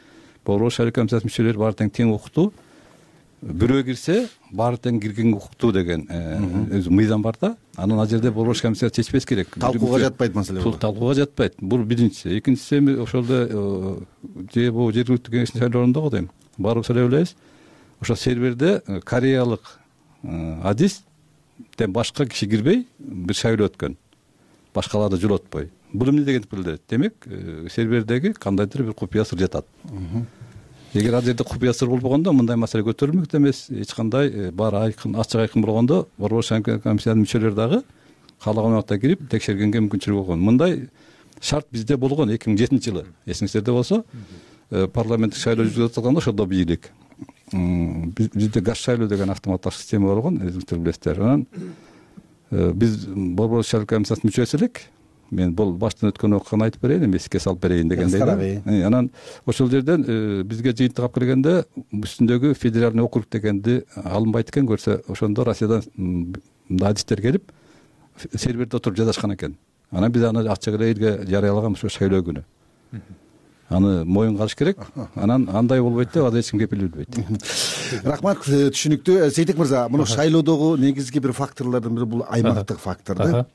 Speaker 11: Борбордук шайлоо комиссиясынын мүчөлөрү баары тең тең укуктуу. Бирөө кирсе баары тең кирген укуктуу деген өзү мыйзам бар да. Анан ал жерде Борбордук комиссия чечпес керек.
Speaker 10: Талкууга жатпайт маселе бул.
Speaker 11: Бул талкууга жатпайт. Бул биринчиси. Экинчиси эми ошолдо же бул жергиликтүү кеңештин шайлоолорунда го дейм. Баарыбыз эле билебиз. Ошо серверде кореялык адистен башка киши кирбей бир шайлоо өткөн. Башкаларды жолотпой. Бул эмне дегенди билдирет? Демек, сервердеги кандайдыр бир купуя сыр жатат. Эгер ал жерде купуя сыр болбогондо мындай маселе көтөрүлмөк эмес. Эч кандай баары айкын, ачык айкын болгондо Борбордук шайлоо комиссиянын мүчөлөрү дагы каалаган убакта кирип текшергенге мүмкүнчүлүгү болгон. Мындай шарт бизде болгон эки миң жетинчи жылы. Эсиңиздерде болсо, парламенттик шайлоо жүргүзүлүп атканда ошондо бийлик. Бизде газ шайлоо деген автоматтык система болгон, өзүңүздөр билесиздер. Анан биз Борбордук шайлоо комиссиясынын мүчөсү элек. Мен бул баштан өткөн окуяны айтып берейин, эми эске салып берейин дегендей. Анан ошол жерден бизге жыйынтык алып келгенде үстүндөгү федеральный округ дегенди алынбайт экен, көрсө ошондо Россиядан адистер келип серверде отуруп жазышкан экен. Анан биз аны ачык эле элге жарыялаган ошо шайлоо күнү. Аны моюнга алыш керек. Анан андай болбойт деп азыр эч ким кепил билбейт.
Speaker 10: Рахмат, түшүнүктүү. Сейтек мырза, мына шайлоодогу негизги бир факторлордун бири бул аймактык фактор да.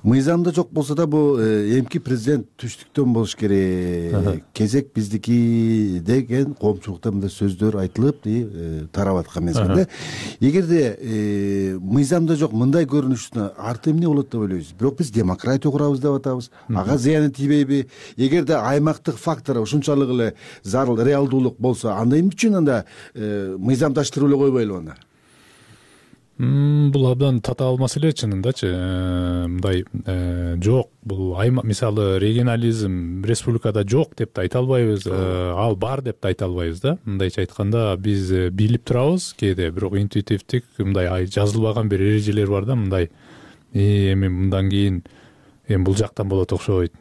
Speaker 10: Мыйзамда жок болсо да бул эмки президент түштүктөн болуш керек. Кезек биздики деген коомчулукта мындай сөздөр айтылып, тарап аткан мезгилде. Эгерде мыйзамда жок мындай көрүнүштүн арты эмне болот деп ойлойсуз? Бирок биз демократия курабыз деп атабыз. Ага зыяны тийбейби? Эгерде аймактык фактор ушунчалык эле зарыл реалдуулук болсо, анда эмне үчүн анда мыйзамдаштырып эле койбойлу анда?
Speaker 3: Бул абдан татаал маселе чынындачы. Мындай жок, бул аймак, мисалы регионализм республикада жок деп да айта албайбыз, ал бар деп да айта албайбыз да. Мындайча айтканда биз билип турабыз кээде, бирок интуитивдик мындай жазылбаган бир эрежелер бар да, мындай эми мындан кийин эми бул жактан болот окшойт.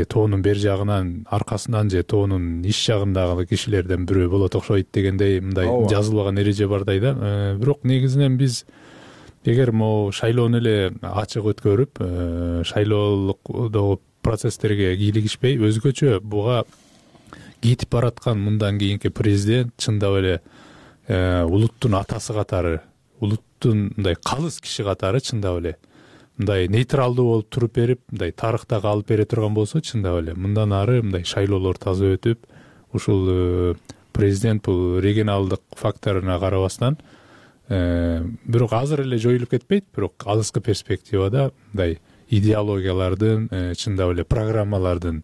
Speaker 3: Тоонун бер жагынан, аркасынан же тоонун иш жагындагы кишилерден бирөө болот окшойт дегендей мындай жазылбаган эреже бардай да. Бирок негизинен биз эгер могу шайлоону эле ачык өткөрүп, шайлоодогу процесстерге кийлигишпей, өзгөчө буга кетип бараткан мындан кийинки президент чындап эле улуттун атасы катары, улуттун мындай калыс киши катары чындап эле мындай нейтралдуу болуп туруп берип, мындай тарыхта калып бере турган болсо, чындап эле мындан ары мындай шайлоолор таза өтүп, ушул президент бул регионалдык факторуна карабастан, бирок азыр эле жоюлуп кетпейт, бирок алыскы перспективада мындай идеологиялардын, чындап эле программалардын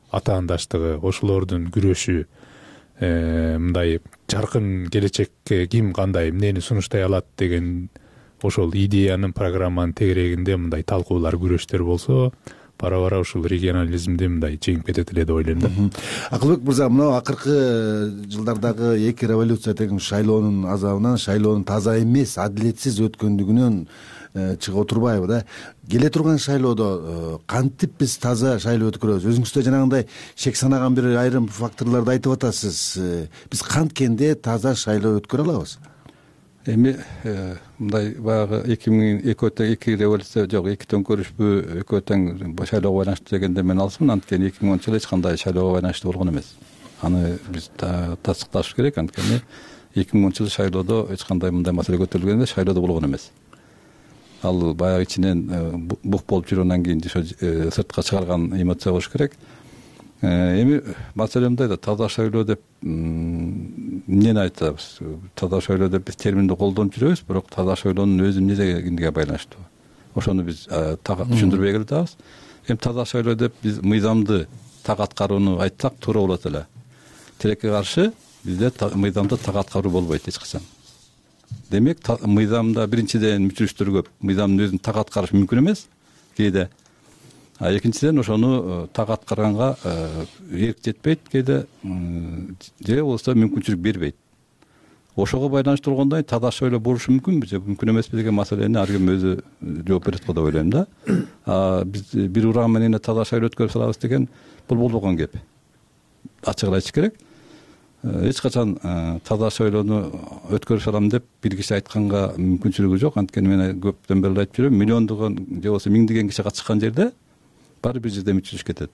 Speaker 3: атаандаштыгы, ошолордун күрөшү, мындай жаркын келечекке ким кандай эмнени сунуштай алат деген ошол идеянын, программанын тегерегинде мындай талкуулар, күрөштөр болсо, бара-бара ушул регионализмди мындай жеңип кетет эле деп ойлойм да.
Speaker 10: Акылбек мырза, мына акыркы жылдардагы эки революция тең шайлоонун азабынан, шайлоонун таза эмес, адилетсиз өткөндүгүнөн чыга отурбайбы да? Келе турган шайлоодо кантип биз таза шайлоо өткөрөбүз? Өзүңүз да жанагындай шек санаган бир айрым факторлорду айтып атасыз. Биз канткенде таза шайлоо өткөрө алабыз?
Speaker 11: Эми мындай баягы эки миң экөө тең эки революция жок, эки төңкөрүшпү экөө тең шайлоого байланыштуу дегенде мен алысмын, анткени эки миң онунчу жылы эч кандай шайлоого байланыштуу болгон эмес. Аны биз тастыкташ керек, анткени эки миң онунчу жылы шайлоодо эч кандай мындай маселе көтөрүлгөн эмес, шайлоодо болгон эмес. Ал баягы ичинен бук болуп жүргөндөн кийин сыртка чыгарган эмоция болуш керек. Эми маселе мындай да, таза шайлоо деп эмнени айтабыз? Таза шайлоо деп биз терминди колдонуп жүрөбүз, бирок таза шайлоонун өзү эмне дегенге байланыштуу. Ошону биз түшүндүрбөй келатабыз. Эми таза шайлоо деп биз мыйзамды так аткарууну айтсак туура болот эле. Тилекке каршы бизде мыйзамды так аткаруу болбойт эч качан. Демек, мыйзамда биринчиден мүчүрүштөр көп. Мыйзамдын өзүн так аткарыш мүмкүн эмес кээде. А экинчиден ошону так аткарганга эрк жетпейт кээде, же болбосо мүмкүнчүлүк бербейт. Ошого байланыштуу болгондон таза шайлоо болушу мүмкүнбү же мүмкүн эмеспи деген маселени ар ким өзү жооп берет го деп ойлойм да. А биз бир урам менен таза шайлоо өткөрүп салабыз деген бул болбогон кеп. Ачык эле айтыш керек. эч качан таза шайлоону өткөрүшө алам деп бир киши айтканга мүмкүнчүлүгү жок. Анткени мен көптөн бери айтып жүрөм, миллиондогон же болбосо миңдеген киши катышкан жерде баары бир жерде мүчүлүш кетет.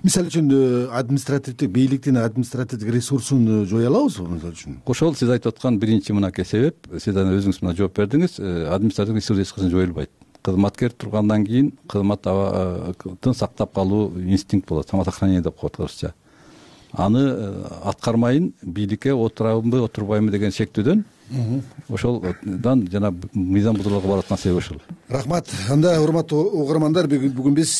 Speaker 10: Мисалы үчүн административдик бийликтин административдик ресурсун жое алабызбы мисалы үчүн?
Speaker 11: Ошол сиз айтып аткан биринчи мынакей себеп. Сиз анан өзүңүз мына жооп бердиңиз. Административдик ресурс эч качан жоюлбайт. Кызматкер тургандан кийин кызматтын сактап калуу инстинкт болот, самосохранение деп коет орусча. Аны аткармайын бийликке отурабымбы отурбайбы деген шектүүдөн ошолдан жана мыйзам бузууларга барып аткан себеп ошол.
Speaker 10: Рахмат. Анда урматтуу угармандар, бүгүн биз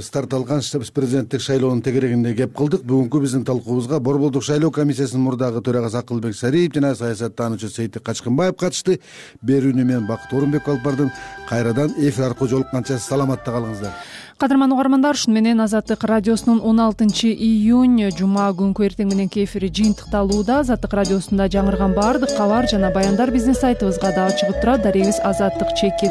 Speaker 10: старт алган президенттик шайлоонун тегерегинде кеп кылдык. Бүгүнкү биздин талкуубузга Борбордук шайлоо комиссиясынын мурдагы төрагасы Акылбек Сариев жана саясаттануучу Сейтик Качкынбаев катышты. Берүүнү мен Бакыт Орунбек алып бардым. Кайрадан эфир аркылуу жолукканча саламатта калыңыздар.
Speaker 1: Кадырман угармандар, ушуну менен Азаттык радиосунун он алтынчы июнь жума күнкү эртең мененки эфири жыйынтыкталууда. Азаттык радиосунда жаңырган баардык кабар жана баяндар биздин сайтыбызга дагы чыгып турат. Дарегиз азаттык чекит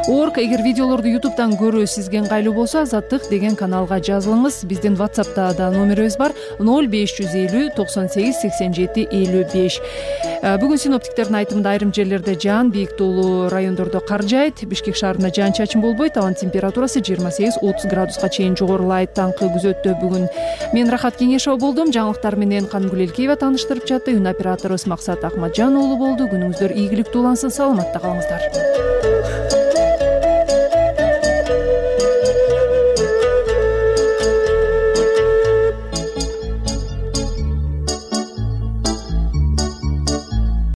Speaker 1: орг. Эгер видеолорду ютубтан көрүү сизге ыңгайлуу болсо, Азаттык деген каналга жазылыңыз. Биздин WhatsApp'та да номерибиз бар: ноль беш жүз элүү токсон сегиз сексен жети элүү беш. Бүгүн синоптиктердин айтымында айрым жерлерде жаан, бийик тоолуу райондордо кар жаайт. Бишкек шаарында жаан чачын болбойт. Абанын температурасы жыйырма сегиз отуз градуска чейин жогорулайт. Таңкы күзөттө бүгүн мен Рахат Кеңешова болдум. Жаңылыктар менен Кангүл Элкеева тааныштырып жатты. Үн операторубуз Максат Акматжан уулу болду. Күнүңүздөр ийгиликтүү улансын. Саламатта калыңыздар.